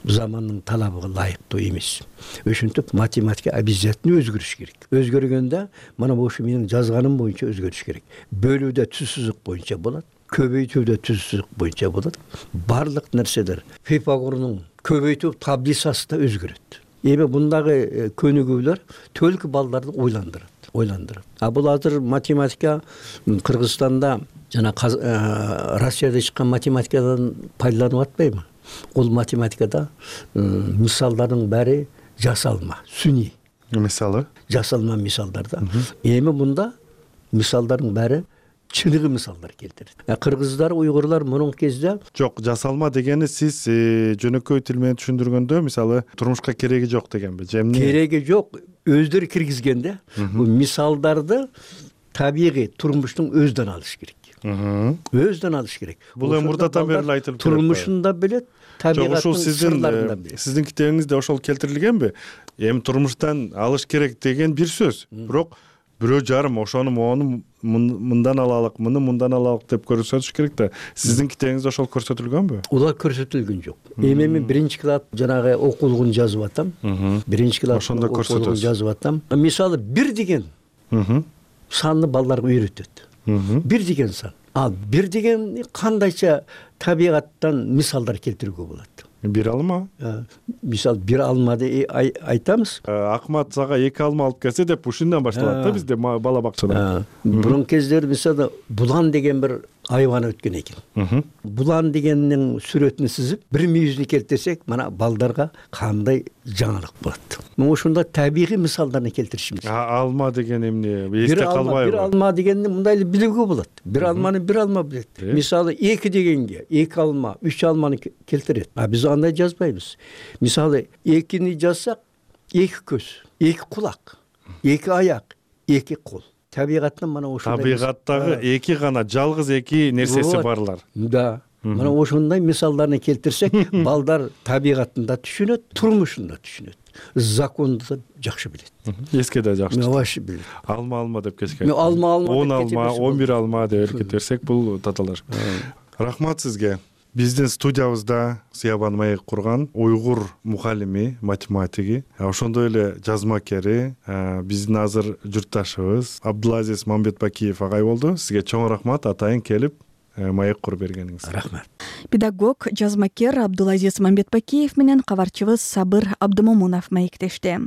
Замандын талабыга ылайыктуу эмес. Ошентип математика обязательно өзгөрүш керек. Өзгөргөндө мана ошо менин жазганым боюнча өзгөрүш керек. Бөлүүдө түз сызык боюнча болот, көбөйтүүдө түз сызык боюнча болот. Барлык нерселер Пифагордун көбөйтүү таблицасы да өзгөрөт. Эми бундагы көнүгүүлөр төлкү балдарды ойландырат. ойландырат. А бул азыр математика Кыргызстанда жана Россияда чыккан математикадан пайдаланып атпайбы? Ол математикада мисалдардын баары жасалма, сүний. Мисалы? Жасалма мисалдарда. Эми мында мисалдардын баары чыныгы мисалдар келтирет. Кыргыздар, уйгурлар мурунку кезде жок, жасалма дегени сиз жөнөкөй тил менен түшүндүргөндө, мисалы, турмушка кереги жок дегенби? Кереги жок, өздөрү киргизгенде бул мисалдарды табигый турмуштун өзүнөн алыш керек. Өзүнөн алыш керек. Бул эми мурдатан бери эле айтылып келет. Турмушунда билет, табигаттын сырларында билет. Сиздин китебиңизде ошол келтирилгенби? Эми турмуштан алыш керек деген бир сөз. Бирок бирөө жарым ошону мону мындан алалык, муну мындан алалык деп көрсөтүш керек да. Сиздин китебиңизде ошол көрсөтүлгөнбү? Улар көрсөтүлгөн жок. Эми мен биринчи класс жанагы окуулугун жазып атам. Биринчи класс ошондо көрсөтөсүз. Жазып атам. Мисалы 1 деген санды балдарга үйрөтөт. 1 деген сан. Ал 1 деген кандайча табигаттан мисалдар келтирүүгө болот. 1 алма? Мисал 1 алма деп айтамыз. Акмат сага 2 алма алып келсе деп ушундан башталат да бизде бала бакчада. Бурун кездер мисалы булан деген бир айбан өткөн экен. Булан дегеннин сүрөтүн сызып, бир мүйүзүн келтирсек, мана балдарга кандай жаңылык болот. Мен ошондо табигый мисалдарды келтиришimiz. Алма деген эмне? Эсте калбайбы? 1 алма дегенди мындай эле билүүгө болот. 1 алманы 1 алма билет. Мисалы 2 дегенге 2 алма, 3 алманы келтирет. А биз андай жазбайбыз. Мисалы 2-ни жазсак, 2 көз, 2 кулак, 2 аяк, 2 кол. Табигаттан мана ошондой. Табигаттагы 2 гана жалгыз 2 нерсеси барлар. Да. Мана ошондой мисалдарды келтирсек, балдар табигатында түшүнөт, турмушунда түшүнөт. Законду да жакшы билет. Эске да жакшы. Жакшы билет. Алма деп кечке. 10 алма, 11 алма деп кетирсек, бул таталар. Рахмат сизге. Биздин студиябызда Сиябан Маек курган уйгур мухаллими, математиги, ошондой эле жазмакери, биздин азыр журтташыбыз Абдулазиз Мамбетбакиев агай болду. Сизге чоң рахмат атайын келип маек куруп бергениңиз. Рахмат. Педагог, жазмакер Абдулазиз Мамбетбакиев менен кабарчыбыз Сабыр Абдымомунов маектешти.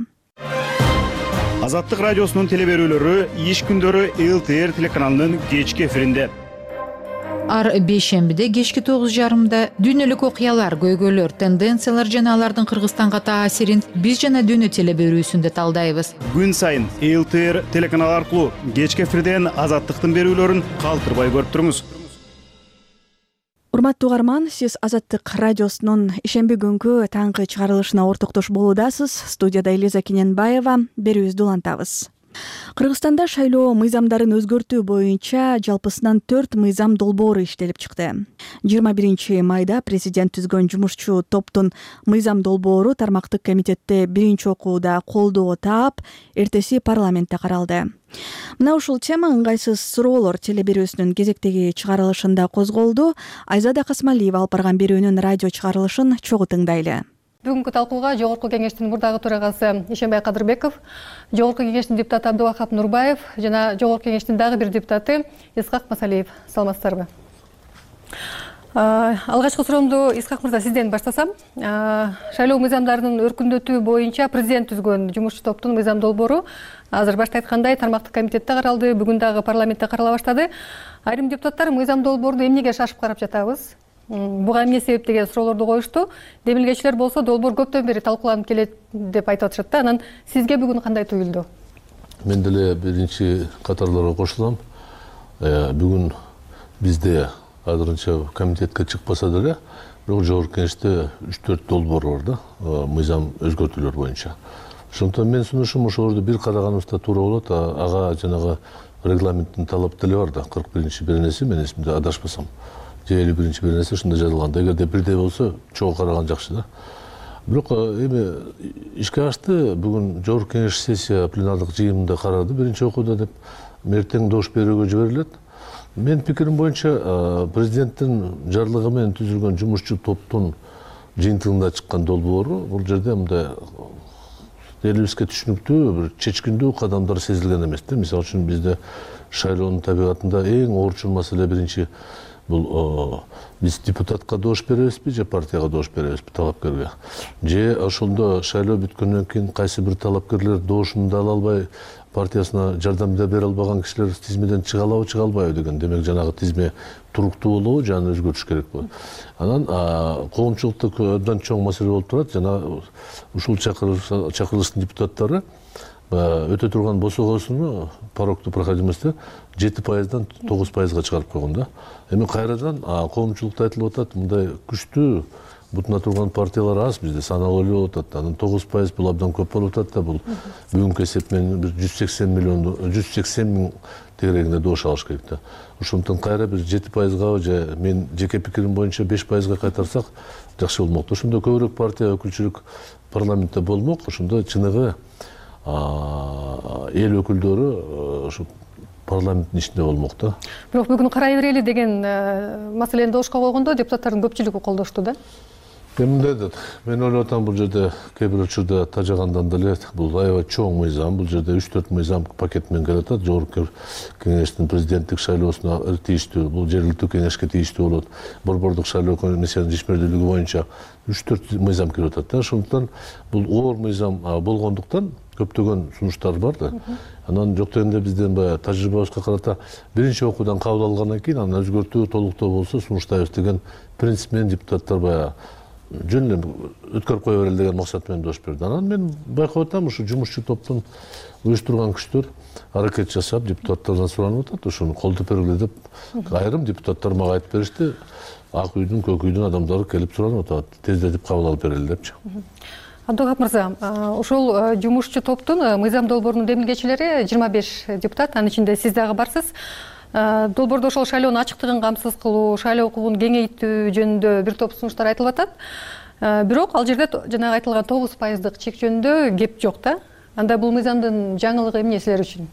Азаттык радиосунун телеберүүлөрү иш күндөрү ЛТР телеканалынын кечки эфиринде. Ар бейшембиде кечки 9:30 дүйнөлүк окуялар, көйгөйлөр, тенденциялар жана алардын Кыргызстанга таасирин биз жана дүйнө телеберүүсүндө талдайбыз. Күн сайын ЛТР телеканалы аркылуу кечки эфирден азаттыктын берүүлөрүн калтырбай көрүп туруңуз. Урматтуу угарман, сиз Азаттык радиосунун ишемби күнгү таңкы чыгарылышына ортоктош болуудасыз. Студияда Элиза Киненбаева, берүүбүздү улантабыз. Кыргызстанда шайлоо мыйзамдарын өзгөртүү боюнча жалпысынан 4 мыйзам долбоору иштелип чыкты. 21 майда президент түзгөн жумушчу топтун мыйзам долбоору тармактык комитетте биринчи окууда колдоо таап, эртеси парламентте каралды. Мына ушул тема ыңгайсыз суроолор телеберүүсүнүн кезектеги чыгарылышында козголду. Айзада Касмалиева алып барган берүүнүн радио чыгарылышын чогуу тыңдайлы. Бүгүнкү талкууга Жогорку кеңештин мурдагы төрагасы Ишенбай Кадырбеков, Жогорку кеңештин депутаты Абдубакап Нурбаев жана Жогорку кеңештин дагы бир депутаты Исхак Масалиев. Саламатсыздарбы? Алгачкы суроомду Исхак мырза сизден баштасам. Шайлоо мыйзамдарынын өркүндөтүү боюнча президент түзгөн жумушчу топтун мыйзам долбоору азыр башта айткандай тармактык комитетте каралды, бүгүн дагы парламентте карала баштады. Айрым депутаттар мыйзам долбоорду эмнеге шашып карап жатабыз? Буга эмне себеп деген суроолорду коюшту. Демилгечилер болсо долбоор көптөн бери талкууланып келет деп айтып атышат да. Анан сизге бүгүн кандай туюлду? Мен деле биринчи катарларга кошулам. Бүгүн бизде азырынча комитетке чыкпаса деле, бирок жогорку кеңеште 3-4 долбоор бар да, мыйзам өзгөртүүлөр боюнча. Ошондон мен сунушум ошолорду бир караганыбызда туура болот. Ага жанагы регламенттин талап деле бар да, 41-беренеси мен эсимде адашпасам. 51-беренеси ушунда жазылган. Эгерде бирдей болсо, чогуу караган жакшы да. Бирок эми ишке ашты, бүгүн жогорку кеңеш сессия пленардык жыйынында карады, биринчи окууда деп эртең дош берүүгө жиберилет. Мен пикирим боюнча президенттин жарлыгы менен түзүлгөн жумушчу топтун жыйынтыгында чыккан долбоору бул жерде мындай элибизге түшүнүктүү, бир чечкиндүү кадамдар сезилген эмес да. Мисалы үчүн бизде шайлоонун табигатында эң оорчул маселе биринчи бул биз депутатка дош беребизби же партияга дош беребизби талапкерге. Же ошондо шайлоо бүткөндөн кийин кайсы бир талапкерлер дошун да ала албай партиясына жардам бере албаган кишилер тизмеден чыга албайбы деген. Демек жанагы тизме туруктуу болобу, жана өзгөртүш керек болот. Анан коомчулукта абдан чоң маселе болуп турат. Жана ушул чакырылыштын депутаттары өтө турган босогосуну порогту проходимостьте 7%дан 9%га чыгарып койгон да. Эми кайрадан коомчулукта айтылып атат, мындай күчтүү бутуна турган партиялар аз бизде, саналуу эле болуп атат. Анан 9% бул абдан көп болуп атат да, бул бүгүнкү эсеп менен 180 миң тегерегинде добуш алыш керек да. Ошондуктан кайра бир 7%га же мен жеке пикирим боюнча 5%га кайтарсак жакшы болмок. Ошондо көбүрөөк партия өкүлчүлүк парламентте болмок. Ошондо чыныгы эл өкүлдөрү ошо парламенттин ичинде болмок да. Бирок бүгүн карай берели деген маселени добушка койгондо депутаттардын көпчүлүгү колдошту да. Мындай да, мен ойлоп атам, бул жерде кээ бир учурда тажагандан деле бул аябай чоң мыйзам, бул жерде 3-4 мыйзам пакет менен келип атат. Жогорку кеңештин президенттик шайлоосуна тийиштүү, бул жергиликтүү кеңешке тийиштүү болот. Борбордук шайлоо комиссиянын ишмердүүлүгү боюнча 3-4 мыйзам кирип атат да. Ошондуктан бул оор мыйзам болгондуктан көптөгөн сунуштар бар да. Анан жок дегенде биздин баягы тажрыйбабызга карата биринчи окуудан кабыл алгандан кийин анан өзгөртүү, толуктоо болсо сунуштайбыз деген принцип менен депутаттар баягы жөн эле өткөрүп кое берели деген максат менен добуш берди. Анан мен байкап атам, ушу жумушчу топтун уюштурган күчтөр аракет жасап, депутаттардан суранып атат, ошону колдоп бергиле деп айрым депутаттар мага айтып беришти. Ак үйдүн, көк үйдүн адамдары келип суранып атат, тездетип кабыл алып берели депчи. Абдулгап мырза, ошол жумушчу топтун мыйзам долбоорунун демилгечилери 25 депутат, анын ичинде сиз дагы барсыз. Долбоордо ошол шайлоонун ачыктыгын камсыз кылуу, шайлоо укугун кеңейтүү жөнүндө бир топ сунуштар айтылып атат. Бирок ал жерде жанагы айтылган 9%дык чек жөнүндө кеп жок да. Анда бул мыйзамдын жаңылыгы эмне силер үчүн?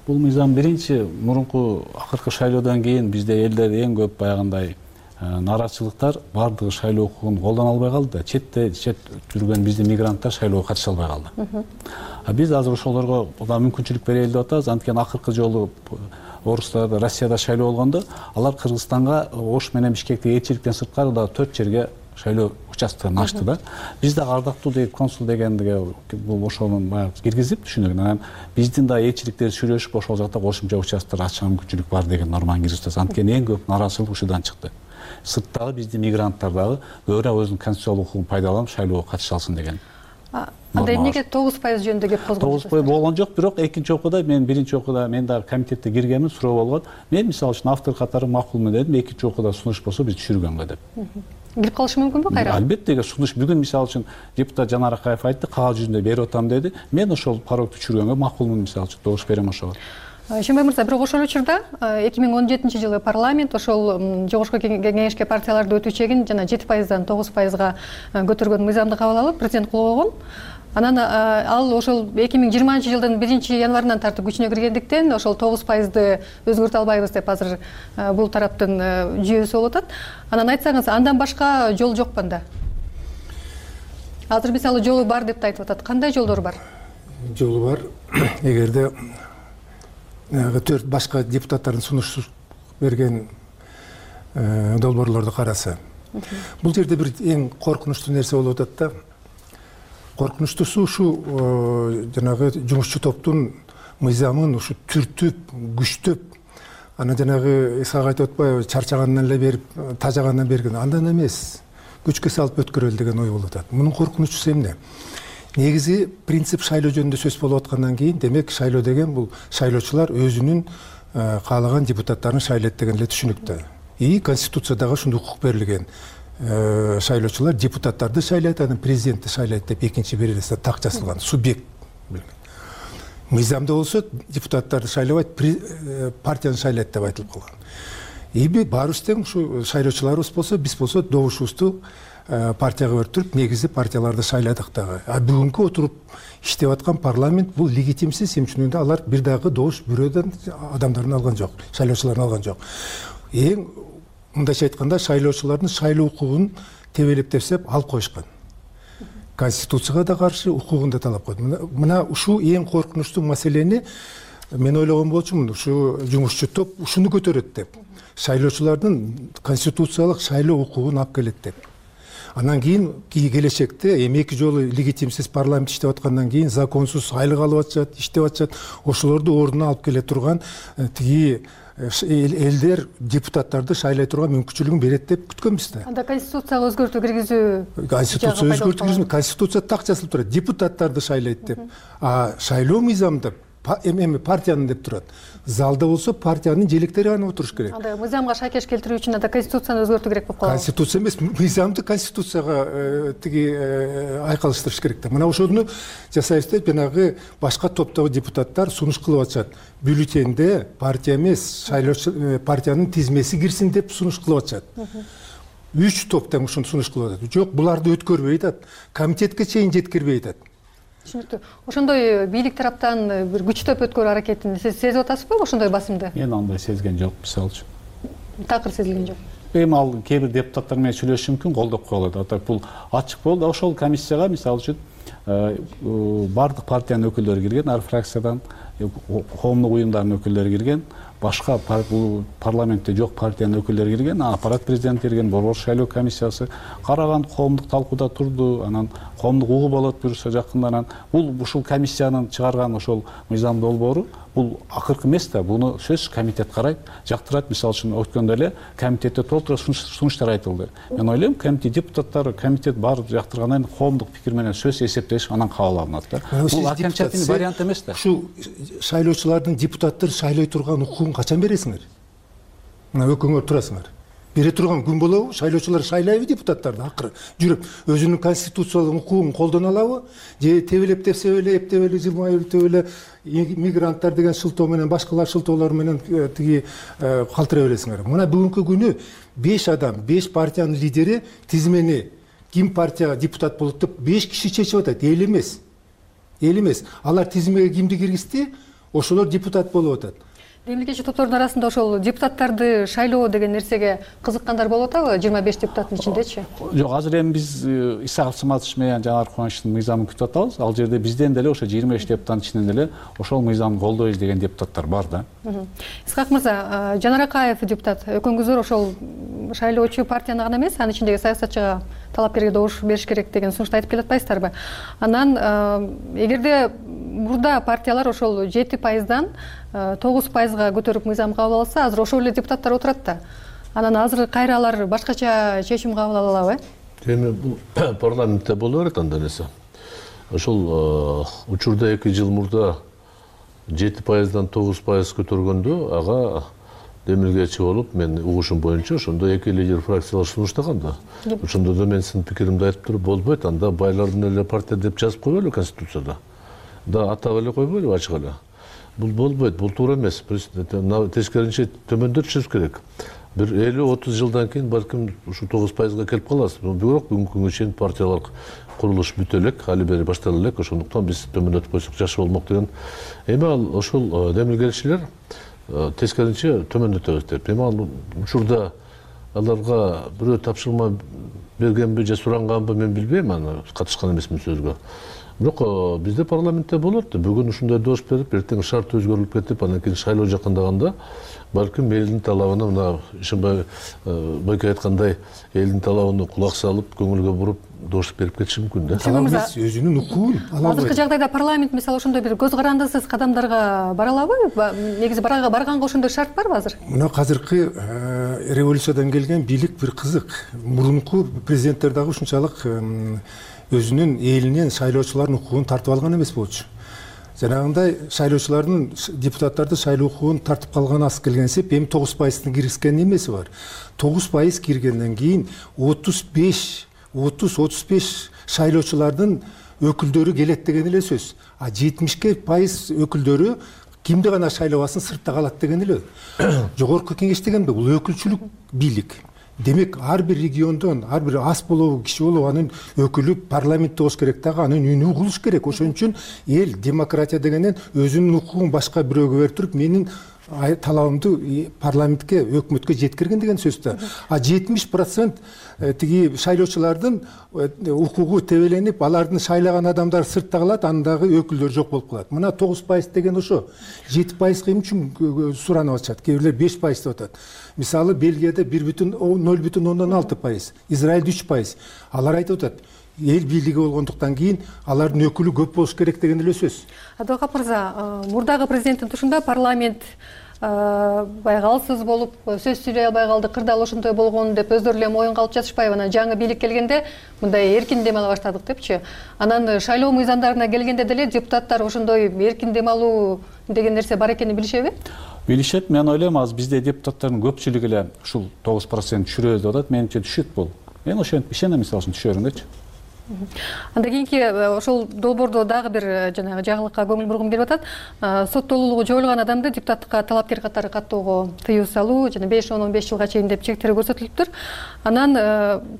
Бул мыйзам биринчи мурунку акыркы шайлоодон кийин бизде элде эң көп баягындай нааразычылыктар баардыгы шайлоо укугун колдоно албай калды да. Чет жүргөн биздин мигранттар шайлоого катыша албай калды. Биз азыр ошолорго мүмкүнчүлүк берели деп атабыз. Анткени акыркы жолу орустарда, Россияда шайлоо болгондо алар Кыргызстанга Ош менен Бишкектеги элчиликтен сырткары дагы 4 жерге шайлоо участкын ачты да. Биз дагы ардактуу деп консул дегендиге бул ошонун баягы киргизип түшүнүк. Анан биздин да элчиликтер сүйлөшүп ошол жакта кошумча участкалар ачууга мүмкүнчүлүк бар деген норманы киргизип. Анткени эң көп нааразычылык ушудан чыкты. Сырттагы биздин мигранттар дагы көбүрөөк өзүнүн конституциялык укугун пайдаланып шайлоого катыша алсын деген. Анда эмнеге 9% жөнүндө кеп козгоп? 9% болгон жок, бирок экинчи окууда мен биринчи окууда мен дагы комитетте киргенмин, суроо болгон. Мен мисалы үчүн автор катары макулмун дедим, экинчи окууда сунуш болсо биз түшүргөнгө деп. Кирип калышы мүмкүнбү кайра? Албетте, сунуш бүгүн мисалы үчүн депутат Жанар Акаев айтты, кагаз жүзүндө берип атам деди. Мен ошол парогду түшүргөнгө макулмун, мисалы үчүн добуш берем ошого. Шембай мырза, бирок ошол учурда 2017-жылы парламент ошол жогорку кеңешке партияларды өтүү чегин жана 7%дан 9%га көтөргөн мыйзамды кабыл алып, президент кол койгон. Анан ал ошол 2020-жылдын 1-январынан тартып күчүнө киргендиктен ошол 9%ды өзгөртө албайбыз деп азыр бул тараптын жүйөсү болуп атат. Анан айтсаңыз, андан башка жол жокпу анда? Азыр мисалы жолу бар деп айтып атат. Кандай жолдор бар? Жолу бар. Эгерде 4 башка депутаттардын сунуш берген долбоорлорду караса, бул жерде бир эң коркунучтуу нерсе болуп атат да. Коркунучтуусу ушу жанагы жумушчу топтун мыйзамын ушу түртүп, күчтөп, аны жанагы Исхак айтып атпайбы, чарчагандан эле берип, тажагандан берген. Андан эмес, күчкө салып өткөрөлү деген ой болуп атат. Мунун коркунучусу эмне? Негизи принцип шайлоо жөнүндө сөз болуп аткандан кийин, демек шайлоо деген бул шайлоочулар өзүнүн каалаган депутаттарын шайлайт деген эле түшүнүктө. И конституциядагы ушундай укук берилген. Шайлоочулар депутаттарды шайлайт, анан президентти шайлайт деп экинчи беренесинде так жазылган, субъект билген. Мыйзамда болсо депутаттарды шайлабайт, партияны шайлайт деп айтылып калган. Эми баарыбыз тең ушу шайлоочуларыбыз болсо, биз болсо добушубузду партияга өртүрүп, негизи партияларды шайладык дагы. Бүгүнкү отуруп иштеп аткан парламент бул легитимсиз, эмчүнүндө алар бир дагы добуш бирөөдөн адамдарын алган жок, шайлоочуларын алган жок. Эң мындайча айтканда шайлоочулардын шайлоо укугун тебелеп тепсеп алып коюшкан. Конституцияга да каршы, укугун да талап койду. Мына ушу эң коркунучтуу маселени мен ойлогон болчумун, ушу жумушчу топ ушуну көтөрөт деп. Шайлоочулардын конституциялык шайлоо укугун алып келет деп. Анан кийин келечекте эми 2 жолу легитимсиз парламент иштеп аткандан кийин законсуз айлык алып атышат, иштеп атышат. Ошолорду ордуна алып келе турган тиги элдер депутаттарды шайлай турган мүмкүнчүлүгүн берет деп күткөнбүз да. Анда конституцияга өзгөртүү киргизүү. Конституция өзгөртүү киргизүү, конституция так жазылып турат. Депутаттарды шайлайт деп. А шайлоо мыйзамында эми партиянын деп турат. Залда болсо партиянын желектери гана отуруш керек. Анда мыйзамга шайкеш келтирүү үчүн анда конституцияны өзгөртүү керек болуп калат. Конституция эмес, мыйзамды конституцияга тиги айкалыштырыш керек да. Мына ошону жасайбыз деп жанагы башка топтогу депутаттар сунуш кылып атышат. Бюллетенде партия эмес, шайлоочу партиянын тизмеси кирсин деп сунуш кылып атышат. 3 топ тең ушуну сунуш кылып атат. Жок, буларды өткөрбөй атат. Комитетке чейин жеткирбей атат. Түшүнүктүү. Ошондой бийлик тараптан бир күчтөп өткөрүү аракетин сиз сезип атасызбы, ошондой басымды? Мен андай сезген жок, мисалы үчүн. Такыр сезилген жок. Эми ал кээ бир депутаттар менен сүйлөшүш мүмкүн, колдоп коелот. Атак бул ачык болду. Ошол комиссияга мисалы үчүн бардык партиянын өкүлдөрү кирген, ар фракциядан коомдук уюмдардын өкүлдөрү кирген, башка бул парламентте жок партиянын өкүлдөрү кирген, аппарат президенти кирген, борбор шайлоо комиссиясы караган, коомдук талкууда турду, анан коомдук угуп алат буюрса жакында. Анан бул ушул комиссиянын чыгарган ошол мыйзам долбоору бул акыркы эмес да, буну сөзсүз комитет карайт, жактырат. Мисалы үчүн өткөндө эле комитетте толтура сунуштар айтылды. Мен ойлойм, комитет депутаттары, комитет баары жактыргандан кийин коомдук пикир менен сөз эсептеш, анан кабыл алынат да. Бул окончательный вариант эмес да. Ушу шайлоочулардын депутаттар шайлай турган укугун качан бересиңер? Мына өкүңөр турасыңар. Бере турган күн болобу? Шайлоочулар шайлайбы депутаттарды акыры жүрүп өзүнүн конституциялык укугун колдоно алабы? Же тебелеп жылмайып эле мигранттар деген шылтоо менен башкалар шылтоолор менен тиги калтыра бересиңер. Мына бүгүнкү күнү 5 адам, 5 партиянын лидери тизмени ким партияга депутат болот деп 5 киши чечип атат, эл эмес. Эл эмес. Алар тизмеге кимди киргизди? Ошолор депутат болуп атат. Мемлекетчи топтордун арасында ошол депутаттарды шайлоо деген нерсеге кызыккандар болуп атабы? 25 депутаттын ичиндечи? Жок, азыр эми биз Исаков Саматович менен Жанар Кубанычтын мыйзамын күтүп атабыз. Ал жерде бизден деле ошо 25 депутаттын ичинен деле ошол мыйзамды колдойбуз деген депутаттар бар да. Исаков мырза, Жанар Акаев депутат, экөөңүздөр ошол шайлоочу партияны гана эмес, анын ичиндеги саясатчыга, талапкерге добуш бериш керек деген сунушту айтып келатпайсыздарбы? Анан эгерде мурда партиялар ошол 7%дан 9%га көтөрүп мыйзам кабыл алса, азыр ошол эле депутаттар отурат да. Анан азыр кайра алар башкача чечим кабыл ала алабы? Эми бул парламентте боло берет андай нерсе. Ошол учурда 2 жыл мурда 7%дан 9% көтөргөндө ага демилгечи болуп, мен угушум боюнча ошондо 2 лидер фракциялар сунуштаган да. Ошондо да мен сиздин пикиримди айтып туруп болбойт, анда байлардын эле партия деп жазып койбойлу конституцияда. Да атап эле койбойлу ачык эле. Бул болбойт, бул туура эмес. Тескерисинче төмөндөтүшүбүз керек. Бир 50-30 жылдан кийин балким ушу 9%га келип калабыз. Бирок бүгүнкү күнгө чейин партиялар курулуш бүтө элек, али бери баштала элек, ошондуктан биз төмөндөтүп койсок жакшы болмок деген. Эми ал ошол демилгелчилер тескерисинче төмөндөтөбүз деп. Эми ал учурда аларга бирөө тапшырма бергенби же суранганбы мен билбейм, аны катышкан эмесмин сөзгө. Бирок бизде парламентте болот. Бүгүн ушундай добуш берип, эртең шарт өзгөрүлүп кетип, анан кийин шайлоо жакындаганда балким элдин талабына, мына Ишенбай байке айткандай, элдин талабына кулак салып, көңүлгө буруп добуш берип кетиши мүмкүн да. Талап эмес, өзүнүн укугун ала албайт. Азыркы жагдайда парламент мисалы ошондой бир көз карандысыз кадамдарга бара алабы? Негизи барганга ошондой шарт барбы азыр? Мына азыркы революциядан келген бийлик бир кызык. Мурунку президенттер дагы ушунчалык өзүнүн элинен шайлоочулардын укугун тартып алган эмес болчу. Жанагындай шайлоочулардын депутаттарды шайлоо укугун тартып калган аз келгенсип, эми 9%ны киргизген немеси бар. 9% киргенден кийин 30-35 шайлоочулардын өкүлдөрү келет деген эле сөз. А 70% өкүлдөрү кимди гана шайлабасын сыртта калат деген эле. Жогорку кеңеш дегенде бул өкүлчүлүк бийлик. Демек, ар бир региондон, ар бир ас болобу, киши болобу, анын өкүлү парламентте болуш керек дагы, анын үнү угулуш керек. Ошон үчүн эл демократия дегенен өзүнүн укугун башка бирөөгө берип туруп, менин талабымды парламентке өкмөткө жеткирген деген сөз да. А 70% тиги шайлоочулардын укугу тебеленип, алардын шайлаган адамдар сыртта калат, андагы өкүлдөр жок болуп калат. Мына 9% деген ошо 7% эмне үчүн суранып атышат? Кээ бирлер 5% деп атат. Мисалы Бельгияда 0,06%, Израилде 3%. Алар айтып атат, эл бийлиги болгондуктан кийин алардын өкүлү көп болуш керек деген эле сөз. Адвокат мырза, мурдагы президенттин тушунда парламент баягы алсыз болуп сөз сүйлөй албай калды, кырдаал ошондой болгон деп өздөрү эле моюнга алып жатышпайбы? Анан жаңы бийлик келгенде мындай эркин дем ала баштадык депчи. Анан шайлоо мыйзамдарына келгенде деле депутаттар ошондой эркин дем алуу деген нерсе бар экенин билишеби? Билишет. Мен ойлойм, азыр бизде депутаттардын көпчүлүгү эле ушул 9% түшүрөбүз деп атат. Менимче түшөт бул. Мен ошентип ишенем, мисалы үчүн түшөрүңөрчү. Андан кийинки ошол долбоордо дагы бир жанагы жаңылыкка көңүл бургум келип атат. Соттолуулугу жоюлган адамды депутаттыкка талапкер катары каттоого тыюу салуу жана 5-15 жылга чейин деп чектери көрсөтүлүптүр. Анан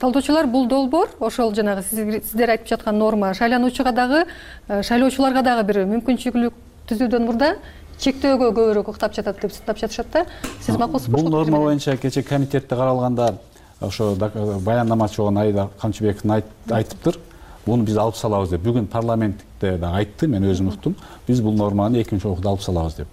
талдоочулар бул долбоор ошол жанагы сиздер айтып жаткан норма шайлануучуга дагы, шайлоочуларга дагы бир мүмкүнчүлүк түзүүдөн мурда чектөөгө көбүрөөк уктап жатат деп сынап жатышат да. Сиз макулсузбу? Бул норма боюнча кечээ комитетте каралганда ошо баяндамачы болгон Айда Камчыбеков айтыптыр. Буну биз алып салабыз деп. Бүгүн парламентте да айтты, мен өзүм уктум. Биз бул норманы экинчи окууда алып салабыз деп.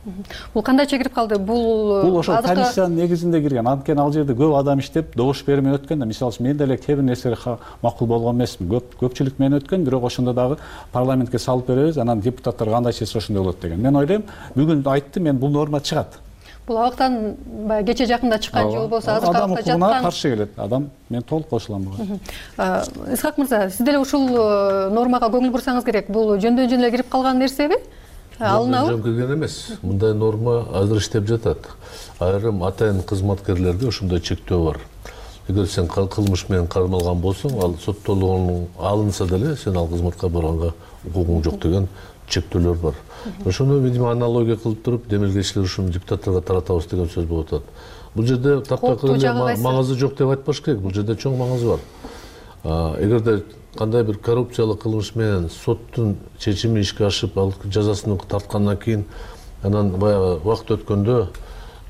Бул кандайча кирип калды? Бул ошол комиссиянын негизинде кирген. Анткени ал жерде көп адам иштеп, добуш бермей өткөн да. Мисалы үчүн мен деле кээ бир нерселер макул болгон эмесмин. Көпчүлүк менен өткөн, бирок ошондо дагы парламентке салып беребиз, анан депутаттар кандай чечсе ошондой болот деген. Мен ойлойм, бүгүн айтты, мен бул норма чыгат. Бул абактан кече жакында чыккан же болбосо азыр адам укугуна каршы келет. Адам мен толук кошулам буга. Исхак мырза, сиз деле ушул нормага көңүл бурсаңыз керек. Бул жөндөн жөн эле кирип калган нерсеби? Алынабы? Жөн кирген эмес. Мындай норма азыр иштеп жатат. Айрым атайын кызматкерлерде ошондой чектөө бар. Эгер сен кылмыш менен кармалган болсоң, ал соттолгон алынса деле сен ал кызматка барганга укугуң жок деген чектөөлөр бар. Ошону видимо аналогия кылып туруп, демилгечилер ушуну депутаттарга таратабыз деген сөз болуп атат. Бул жерде таптакыр эле маңызы жок деп айтпаш керек. Бул жерде чоң маңызы бар. Эгерде кандай бир коррупциялык кылмыш менен соттун чечими ишке ашып, ал жазасын тарткандан кийин, анан баягы убакыт өткөндө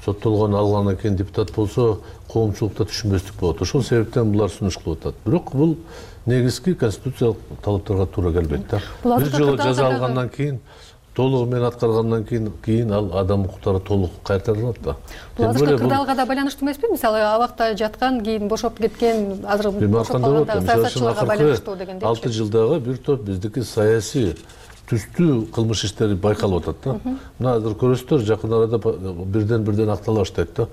соттолгон алгандан кийин депутат болсо, коомчулукта түшүнбөстүк болот. Ошол себептен булар сунуш кылып атат. Бирок бул негизги конституциялык талаптарга туура келбейт да. Бир жолу жаза алгандан кийин, толугу менен аткаргандан кийин ал адам укуктары толук кайтарылат да. Бул азыркы кырдаалга да байланыштуу эмеспи? Мисалы абакта жаткан, кийин бошоп кеткен, азыр бошоп калган саясатчыларга байланыштуу дегендей. 6 жылдагы бир топ биздики саясий түстүү кылмыш иштери байкалып атат да. Мына азыр көрөсүздөр, жакын арада бирден актала баштайт да.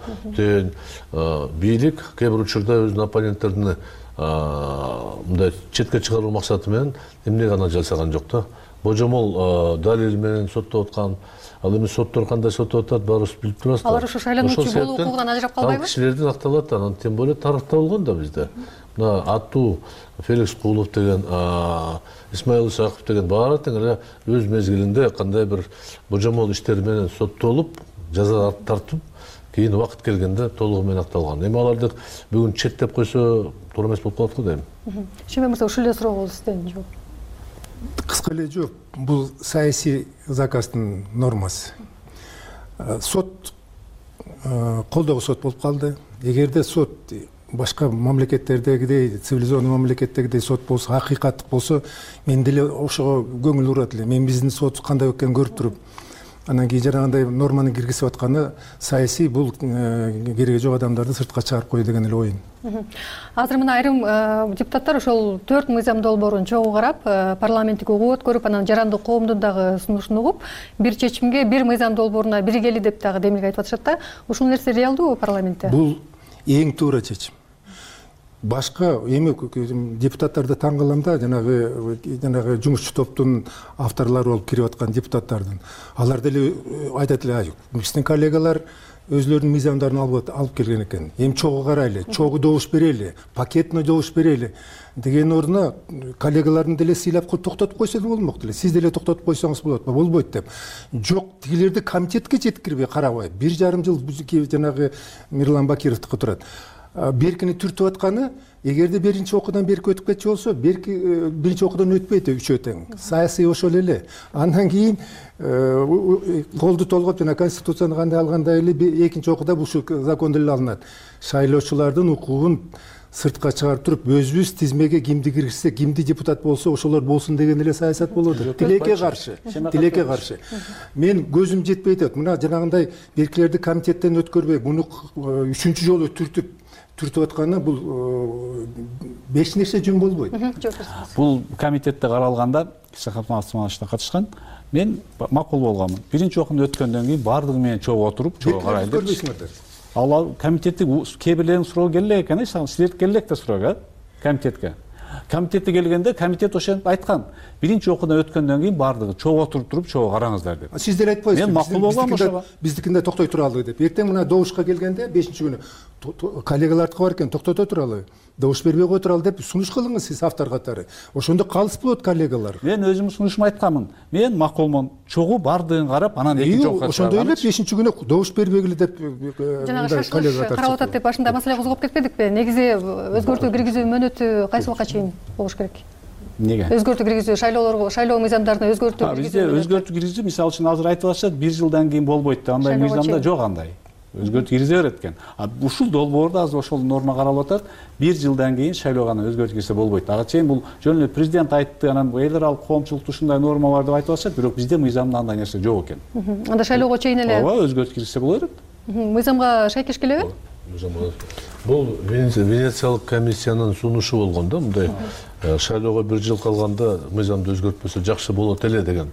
Бийлик кээ бир учурда өзүнүн оппоненттерин мындай четке чыгаруу максаты менен эмне гана жасаган жок да. Божомол далил менен соттоп аткан, ал эми соттор кандай соттоп атат, баарыбыз билип турабыз. Алар ошо шайлануучу болуу укугунан ажырап калбайбы? Ал кишилердин акталат, анан тем более тарыхта болгон да бизде. Мына аттуу Феликс Куулов деген, Исмаил Исаков деген баары тең эле өз мезгилинде кандай бир божомол иштери менен соттолуп, жаза тартып, кийин убакыт келгенде толугу менен акталган. Эми аларды бүгүн четтеп койсо туура эмес болуп калат го дейм. Шембек мырза, ушул эле суроо болду сизден жооп. Кыска эле жооп. Бул саясий заказдын нормасы. Сот колдогу сот болуп калды. Эгерде сот башка мамлекеттердегидей, цивилизованный мамлекеттегидей сот болсо, акыйкаттык болсо, мен деле ошого көңүл бурат элем. Мен биздин сот кандай экенин көрүп туруп, анан кийин жанагындай норманы киргизип атканы саясий, бул кереги жок адамдарды сыртка чыгарып кой деген эле оюм. Азыр мына айрым депутаттар ошол 4 мыйзам долбоорун чогуу карап, парламенттик угуу өткөрүп, анан жарандык коомдун дагы сунушун угуп, бир чечимге бир мыйзам долбооруна биригели деп дагы демилге айтып атышат да. Ушул нерсе реалдуубу парламентте? Бул эң туура чечим. Башка эми депутаттарды таң калам да, жанагы жумушчу топтун авторлору болуп кирип аткан депутаттардын. Алар деле айтат эле, биздин коллегалар өзлөрүнүн мыйзамдарын алып келген экен. Эми чогуу карайлы, чогуу добуш берели, пакетный добуш берели деген ордуна коллегаларын деле сыйлап токтотуп койсо да болмок деле. Сиз деле токтотуп койсоңуз болот, болбойт деп. Жок, тигилерди комитетке жеткирбей карабай, 1,5 жыл жанагы Мирлан Бакировдуку турат. Беркини түртүп атканы эгерде биринчи окуудан берки өтүп кетчү болсо, биринчи окуудан өтпөйт үчөө тең. Саясий ошол эле. Андан кийин колду толгоп жана конституцияны кандай алгандай эле экинчи окууда ушул закон деле алынат. Шайлоочулардын укугун сыртка чыгарып туруп, өзүбүз тизмеге кимди киргизсе, кимди депутат болсо ошолор болсун деген эле саясат болот. Тилекке каршы. Мен көзүм жетпей атат. Мына жанагындай беркилерди комитеттен өткөрбөй, муну 3-чү жолу түртүп атканы бул беш нерсе жөн болбойт. Бул комитетте каралганда Исаховна катышкан. Мен макул болгонмун. Биринчи окууну өткөндөн кийин баардыгы менен чогуу отуруп, чогуу карайлы. Ал комитетти кээ бирлерин суроо келе экен, силерди келек да суроо комитетке. Комитетте келгенде комитет ошентип айткан. Биринчи окуудан өткөндөн кийин баардыгы чогуу отуруп туруп, чогуу караңыздар деп. Сиз деле айтпайсызбы? Мен макул болгом ошого. Биздикинде токтой туралы деп. Эртең мына добушка келгенде 5-чи күнү коллегаларды бар экен, токтото туралы. Добуш бербей кой туралы деп сунуш кылыңыз сиз автор катары. Ошондо калыс болот коллегалар. Мен өзүм сунушумду айтканмын. Мен макулмун. Чогуу бардыгын карап, анан экинчи окууга ошондой эле 5-чи күнү добуш бербегиле деп жанагы шашылыш карап атат деп башында маселе козгоп кетпедикпи? Негизи өзгөртүү киргизүү мөөнөтү кайсы убакка чейин болуш керек? Неге? Өзгөртүү киргизүү, шайлоо мыйзамдарына өзгөртүү киргизүү. Бизде өзгөртүү киргизүү, мисалы үчүн азыр айтып атышат, 1 жылдан кийин болбойт деп. Андай мыйзамда жок андай. Өзгөртүү киргизе берет экен. Ушул долбоордо азыр ошол норма каралып атат. 1 жылдан кийин шайлоого гана өзгөртүү кирсе болбойт. Ага чейин бул жөн эле президент айтты, анан эл аралык коомчулукта ушундай норма бар деп айтып атышат, бирок бизде мыйзамда андай нерсе жок экен. Анда шайлоого чейин эле ооба өзгөртүү кирсе боло берет. Мыйзамга шайкеш келеби? Бул Венециялык комиссиянын сунушу болгон да, мындай шайлоого 1 жыл калганда мыйзамды өзгөртпөсө жакшы болот эле деген.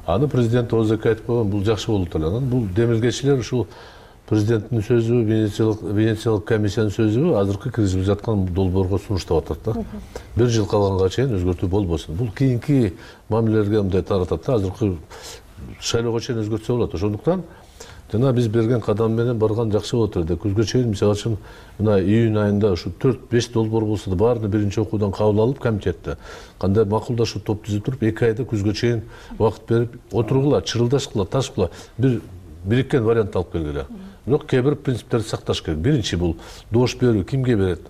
Аны президент ОЗК айтып койгон, бул жакшы болот эле. Анан бул демилгечилер ушул президенттин сөзү, Венециялык комиссиянын сөзү азыркы киргизип жаткан долбоорго сунуштап атат да. 1 жыл калганга чейин өзгөртүү болбосун. Бул кийинки мамилелерге мындай таратат да, азыркы шайлоого чейин өзгөртсө болот. Ошондуктан жана биз берген кадам менен барган жакшы болот эле. Күзгө чейин мисалы үчүн мына июнь айында ушу 4-5 долбоор болсо да баарын биринчи окуудан кабыл алып комитетте кандай макулдашуу топ түзүп туруп 2 айда күзгө чейин убакыт берип отургула, чырылдашкыла, ташкыла бир бириккен вариант алып келгиле. Бирок кээ бир принциптерди сакташ керек. Биринчи бул добуш берүү кимге берет?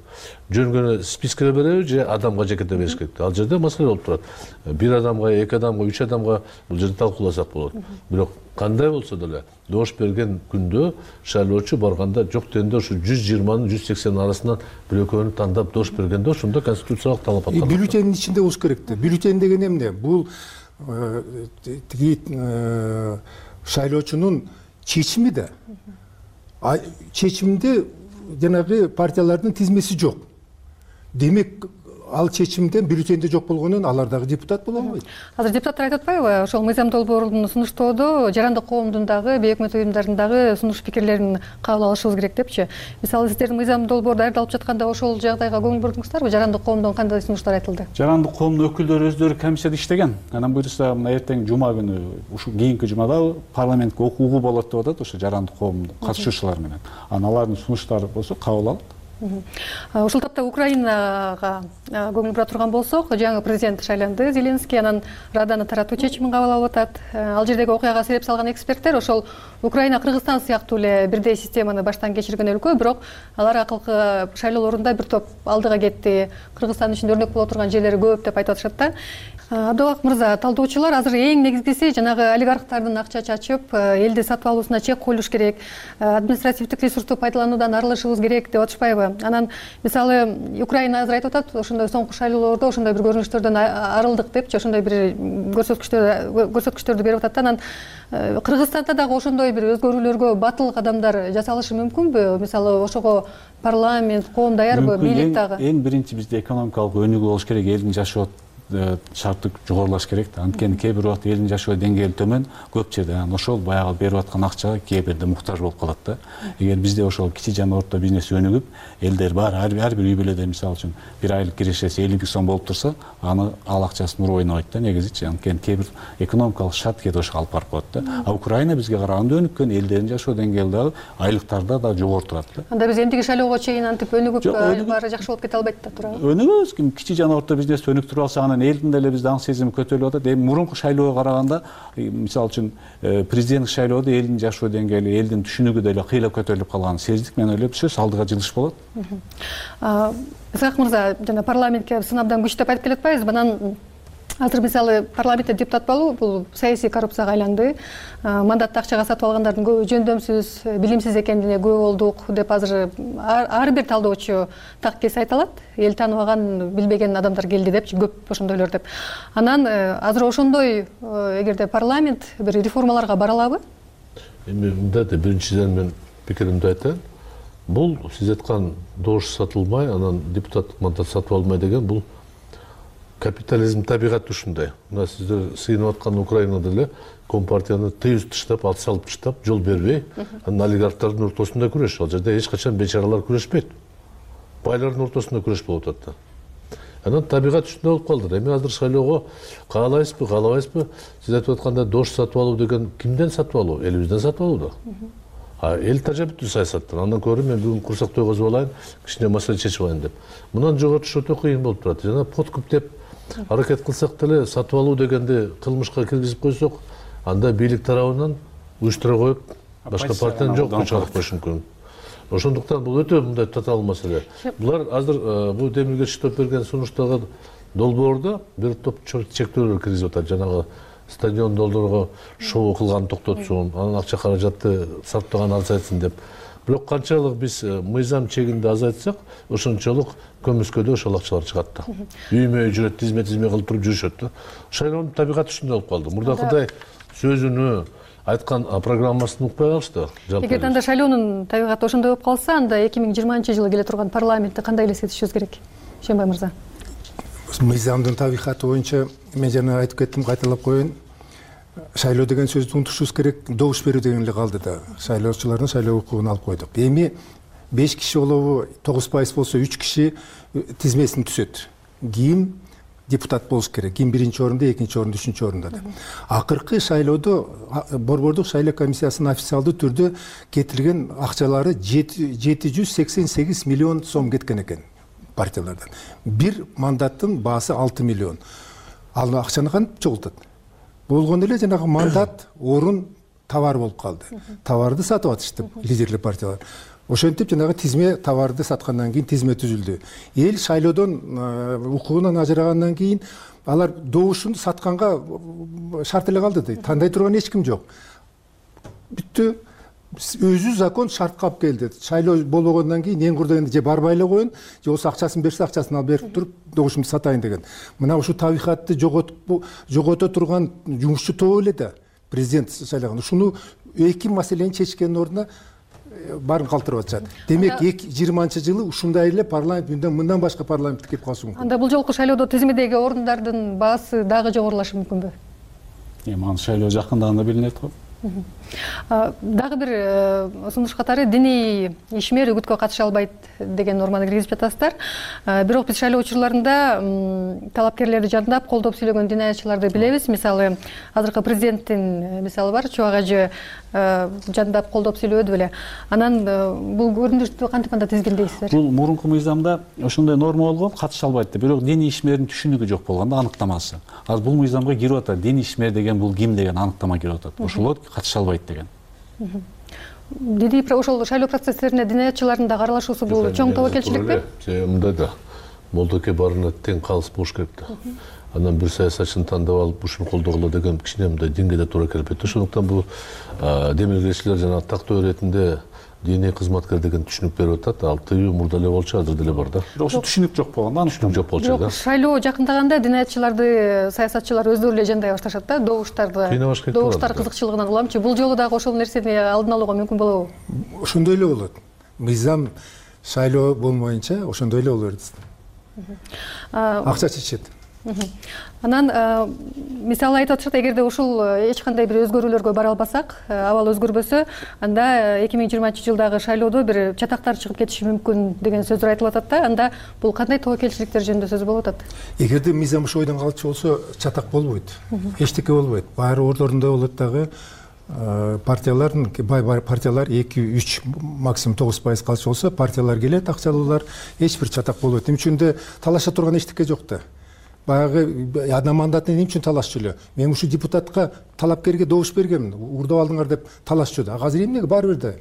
Жөнгөнө спискеге береби же адамга жекете бериш керек? Ал жерде маселе болуп турат. 1 адамга, 2 адамга, 3 адамга бул жерде талкууласак болот. Бирок кандай болсо деле добуш берген күндө шайлоочу барганда жок дегенде ушу 120-нын 180 арасынан бир-экөөнү тандап добуш бергенде ошондо конституциялык талап аткан. Бюллетендин ичинде болуш керек да. Бюллетен деген эмне? Бул тиги шайлоочунун чечими да. Чечимде жанагы партиялардын тизмеси жок. Демек ал чечимден бюллетенде жок болгондон алар дагы депутат боло албайт. Азыр депутаттар айтып атпайбы? Ошол мыйзам долбоорун сунуштоодо жарандык коомдун дагы, бейөкмөт уюмдардын дагы сунуш пикирлерин кабыл алышыбыз керек депчи. Мисалы сиздердин мыйзам долбоор даярдалып жатканда ошол жагдайга көңүл бурдуңуздарбы? Жарандык коомдон кандай сунуштар айтылды? Жарандык коомдун өкүлдөрү өздөрү комиссияда иштеген. Анан буюрса мына эртең жума күнү, ушу кийинки жумада парламентке окуугу болот деп атат ошо жарандык коомдун катышуучулар менен. Анан алардын сунуштары болсо кабыл алып. Ушул тапта Украинага көңүл бура турган болсок, жаңы президент шайланды, Зеленский, анан Раданы таратуу чечимин кабыл алып атат. Ал жердеги окуяга себеп салган эксперттер ошол Украина Кыргызстан сыяктуу эле бирдей системаны баштан кечирген өлкө, бирок алар акылкы шайлоолорунда бир топ алдыга кетти. Кыргызстан үчүн өрнөк боло турган жерлери көп деп айтып атышат да. Абдубак мырза, талдоочулар азыр эң негизгиси жанагы олигархтардын акча чачып, элди сатып алуусуна чек коюлуш керек, административдик ресурсту пайдалануудан арылышыбыз керек деп атышпайбы? Анан мисалы Украина азыр айтып атат, ошондой соңку шайлоолордо ошондой бир көрүнүштөрдөн арылдык депчи, ошондой бир көрсөткүчтөрдү берип атат да. Анан Кыргызстанда дагы ошондой бир өзгөрүүлөргө батыл кадамдар жасалышы мүмкүнбү? Мисалы ошого парламент, коом даярбы, бийлик дагы? Эң биринчи бизде экономикалык өнүгүү болуш керек, элдин жашоо шарты жогорулаш керек да. Анткени кээ бир убакта элдин жашоо деңгээли төмөн, көп жерде ошол баягы берип аткан акчага кээ бирде муктаж болуп калат да. Эгер бизде ошол кичи жана орто бизнес өнүгүп, элдер бар, ар бир үй бүлөдө мисалы үчүн бир айлык кирешеси 50 000 сом болуп турса, аны ал акчасын уруп ойнобойт да негизичи. Анткени кээ бир экономикалык шарт кээде ошого алып барып коет да. А Украина бизге караганда өнүккөн, элдердин жашоо деңгээли дагы, айлыктарда да жогору турат да. Анда биз эмдиги шайлоого чейин антип өнүгүп баары жакшы болуп кете албайт да туурабы? Өнүгөбүз, кичи жана орто бизнес өнүктүрүп алса, анан анан элдин деле бизде аң сезими көтөрүлүп атат. Эми мурунку шайлоого караганда, мисалы үчүн президенттик шайлоодо элдин жашоо деңгээли, элдин түшүнүгү деле кыйлап көтөрүлүп калганын сездик. Мен ойлойм, сөз алдыга жылыш болот. Исхак мырза, жана парламентке сын абдан күч деп айтып келатпайбызбы? Анан азыр мисалы парламентте депутат болуу бул саясий коррупцияга айланды. Мандатты акчага сатып алгандардын көбү жөндөмсүз, билимсиз экендигине күбө болдук деп азыр ар бир талдоочу так кес айта алат. Эл тааныбаган, билбеген адамдар келди деп, көп ошондойлор деп. Анан азыр ошондой эгерде парламент бир реформаларга бара алабы? Эми мындай да биринчиден мен пикиримди айтайын. Бул сиз айткан добуш сатылмай, анан депутаттык мандат сатып албай деген бул капитализм табигаты ушундай. Мына сиздер сыйынып аткан Украинада эле компартияны тыюз таштап, ал салып таштап, жол бербей, анан олигархтардын ортосунда күрөш. Ал жерде эч качан бечаралар күрөшпейт. Байлардын ортосунда күрөш болуп атат да. Анан табигат ушундай болуп калды. Эми азыр шайлоого каалайбызбы, каалабайбызбы? Сиз айтып аткандай дош сатып алуу деген кимден сатып алуу? Элибизден сатып алуу да. Эл тажа бүттү саясаттан. Андан көрө мен бүгүн курсак тойгозуп алайын, кичине маселе чечип алайын деп. Мындан жоготуш өтө кыйын болуп турат. Жана подкуп деп аракет кылсак деле сатып алуу дегенди кылмышка киргизип койсок, анда бийлик тарабынан уюштура коюп, башка партиянын жокуна чыгарып коюш мүмкүн. Ошондуктан бул өтө мындай татаал маселе. Булар азыр бул демилгечтик топ берген сунуштагы долбоордо бир топ чектөөлөр киргизип атат. Жанагы стадион долдорго шоу кылган токтотсун, анан акча каражатты сарптаган азайтсын деп. Бирок канчалык биз мыйзам чегинде азайтсак, ошончолук көмүскөдө ошол акчалар чыгат да. Үймө жүрөт, тизме кылып туруп жүрүшөт да. Шайлоонун табигаты ушундай болуп калды. Мурдакыдай сөзүнү айткан программасын укпай калышты. Эгерде анда шайлоонун табигаты ошондой болуп калса, анда 2020-жылы келе турган парламентти кандай элестетишибиз керек? Шенбай мырза. Мыйзамдын табигаты боюнча мен жана айтып кеттим, кайталап коеюн. Шайлоо деген сөздү унутушубуз керек, добуш берүү деген эле калды да. Шайлоочулардын шайлоо укугун алып койдук. Эми 5 киши болобу, 9% болсо 3 киши тизмесин түзөт. Ким депутат болуш керек, ким биринчи орунда, экинчи орунда, үчүнчү орунда деп. Акыркы шайлоодо Борбордук шайлоо комиссиясынын официалдуу түрдө кетирген акчалары 788 миллион сом кеткен экен партиялардан. Бир мандаттын баасы 6 миллион. Ал акчаны кантип чогултат? Болгондо эле жанагы мандат, орун товар болуп калды. Товарды сатып атышты лидерлик партиялар. Ошентип жанагы тизме товарды саткандан кийин тизме түзүлдү. Эл шайлоодон укугунан ажырагандан кийин алар добушун сатканга шарт эле калды. Тандай турган эч ким жок. Бүттү. Өзү закон шартка алып келди. Шайлоо болбогондон кийин эң курдагенде же барбай эле коеюн, же болсо акчасын берсе акчасын алып берип туруп добушумду сатайын деген. Мына ушу табигатты жогото турган жумушчу топ эле да президент шайлаган. Ушуну эки маселени чечкендин ордуна баарын калтырып атышат. Демек 2020-жылы ушундай эле парламент мындан башка парламент келип калышы мүмкүн. Анда бул жолку шайлоодо тизмедеги орундардын баасы дагы жогорулашы мүмкүнбү? Эми шайлоо жакындаганда билинет го. Дагы бир сунуш катары диний ишмер үгүткө катыша албайт деген норманы киргизип жатасыздар. Бирок биз шайлоо учурларында талапкерлерди жандап колдоп сүйлөгөн динаятчыларды билебиз. Мисалы, азыркы президенттин мисалы бар, Чубак ажы жандап колдоп сүйлөдү беле. Анан бул көрүнүштү кантип анда тизгиндейсиздер? Бул мурунку мыйзамда ошондой норма болгон, катыша албайт деп. Бирок диний ишмердин түшүнүгү жок болгон да, аныктамасы. Азыр бул мыйзамга кирип атат. Диний ишмер деген бул ким деген аныктама кирип атат. Ошолор катыша албайт деген. Диний ошол шайлоо процесстерине динаятчылардын да аралашуусу бул чоң тобокелчиликпи? Мындай да. Молдоке барына тең калыс болуш керек да. Анан бир саясатчыны тандап алып ушуну колдогула деген кичине мындай деңгээлде туура келбейт. Ошондуктан бул демилгечилер жана тактоо иретинде диний кызматкер деген түшүнүк берип атат. Ал тыюу мурда эле болчу, азыр деле бар да. Ошо түшүнүк жок болгондо, түшүнүк жок болчу да. Шайлоо жакындаганда динаятчыларды саясатчылар өздөрү эле жандай башташат да, добуштар кызыкчылыгынан уламчы. Бул жолу дагы ошол нерсени алдын алууга мүмкүн болобу? Ошондой эле болот. Мыйзам шайлоо болмоюнча ошондой эле боло берет. Акча чечет. Анан мисалы айтып атышат, эгерде ушул эч кандай бир өзгөрүүлөргө бара албасак, абал өзгөрбөсө, анда 2020-жылдагы шайлоодо бир чатактар чыгып кетиши мүмкүн деген сөздөр айтылып атат да. Анда бул кандай тобокелчиликтер жөнүндө сөз болуп атат? Эгерде мыйзам ошо ойдон калчу болсо, чатак болбойт. Эчтеке болбойт. Баары ордорунда болот дагы. Партиялардын партиялар 2-3 максимум 9% калчу болсо, партиялар келет, акчалуулар, эч бир чатак болбойт. Эмне үчүн талаша турган эчтеке жок да. баягы одна мандатный эмне үчүн талашчу эле? Мен ушул депутатка талапкерге добуш бергенмин, урдап алдыңар деп талашчу да. Азыр эмнеге баары бир да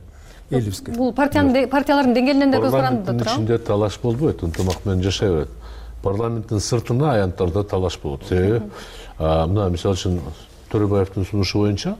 элибизге? Бул партиялардын деңгээлинен да көз каранды да тура. Ичинде талаш болбойт, ынтымак менен жашай берет. Парламенттин сыртына аянттарда талаш болот. Себеби мына мисалы үчүн Төрөбаевдин сунушу боюнча,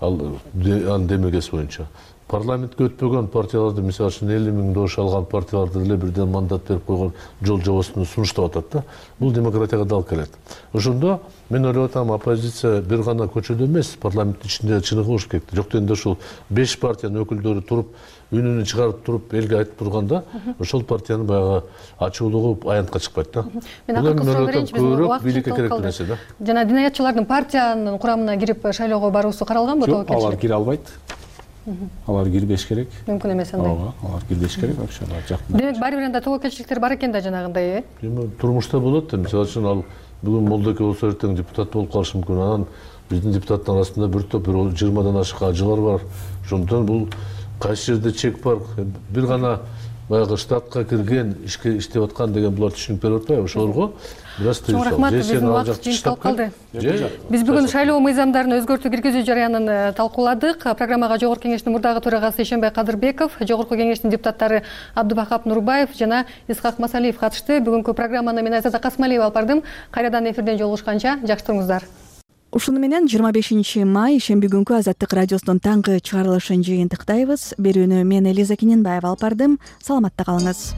анын демилгеси боюнча парламентке өтпөгөн партияларды, мисалы үчүн 50 000 добуш алган партияларды эле бирден мандат берип койгон жол жобосун сунуштап атат да. Бул демократияга дал келет. Ошондо мен ойлоп атам, оппозиция бир гана көчөдө эмес, парламенттин ичинде чыныгыш керек. Жок дегенде ушул 5 партиянын өкүлдөрү туруп, үнүн чыгарып туруп, элге айтып турганда, ошол партиянын баягы ачуулугу аянтка чыкпайт да. Мен көбүрөөк бийликке керектүү нерсе да. Жана динаятчылардын партиянын курамына кирип шайлоого баруусу каралганбы тобокелчилик? Жок, алар кире албайт. Алар кирбеш керек. Мүмкүн эмес андай. Ооба, алар кирбеш керек вообще. Демек баары бир анда тобокелчиликтер бар экен да жанагындай, Турмушта болот да, мисалы үчүн ал бүгүн Молдоке болсо эртең депутат болуп калышы мүмкүн. Анан биздин депутаттын арасында бир топ 20 ашык ажылар бар. Ошондон бул кайсы жерде чек бар, бир гана баягы штатка кирген, ишке иштеп аткан деген булар түшүнүп берип атпайбы? Ошолорго бир аз тыюу рахмат, биздин убакыт жыйынтыкталып калды. Биз бүгүн шайлоо мыйзамдарын өзгөртүү киргизүү жарыянын талкууладык. Программага Жогорку Кеңештин мурдагы төрагасы Эшенбай Кадырбеков, Жогорку Кеңештин депутаттары Абдыбакап Нурбаев жана Исхак Масалиев катышты. Бүгүнкү программаны мен Айзада Касмалиева алып бардым. Кайрадан эфирден жолугушканча жакшы туруңуздар. Ушуну менен 25 май шемби күнкү Азаттык радиосунун таңкы чыгарылышын жыйынтыктайбыз. Берүүнү мен Элиза Киненбаева алып бардым. Саламатта калыңыз.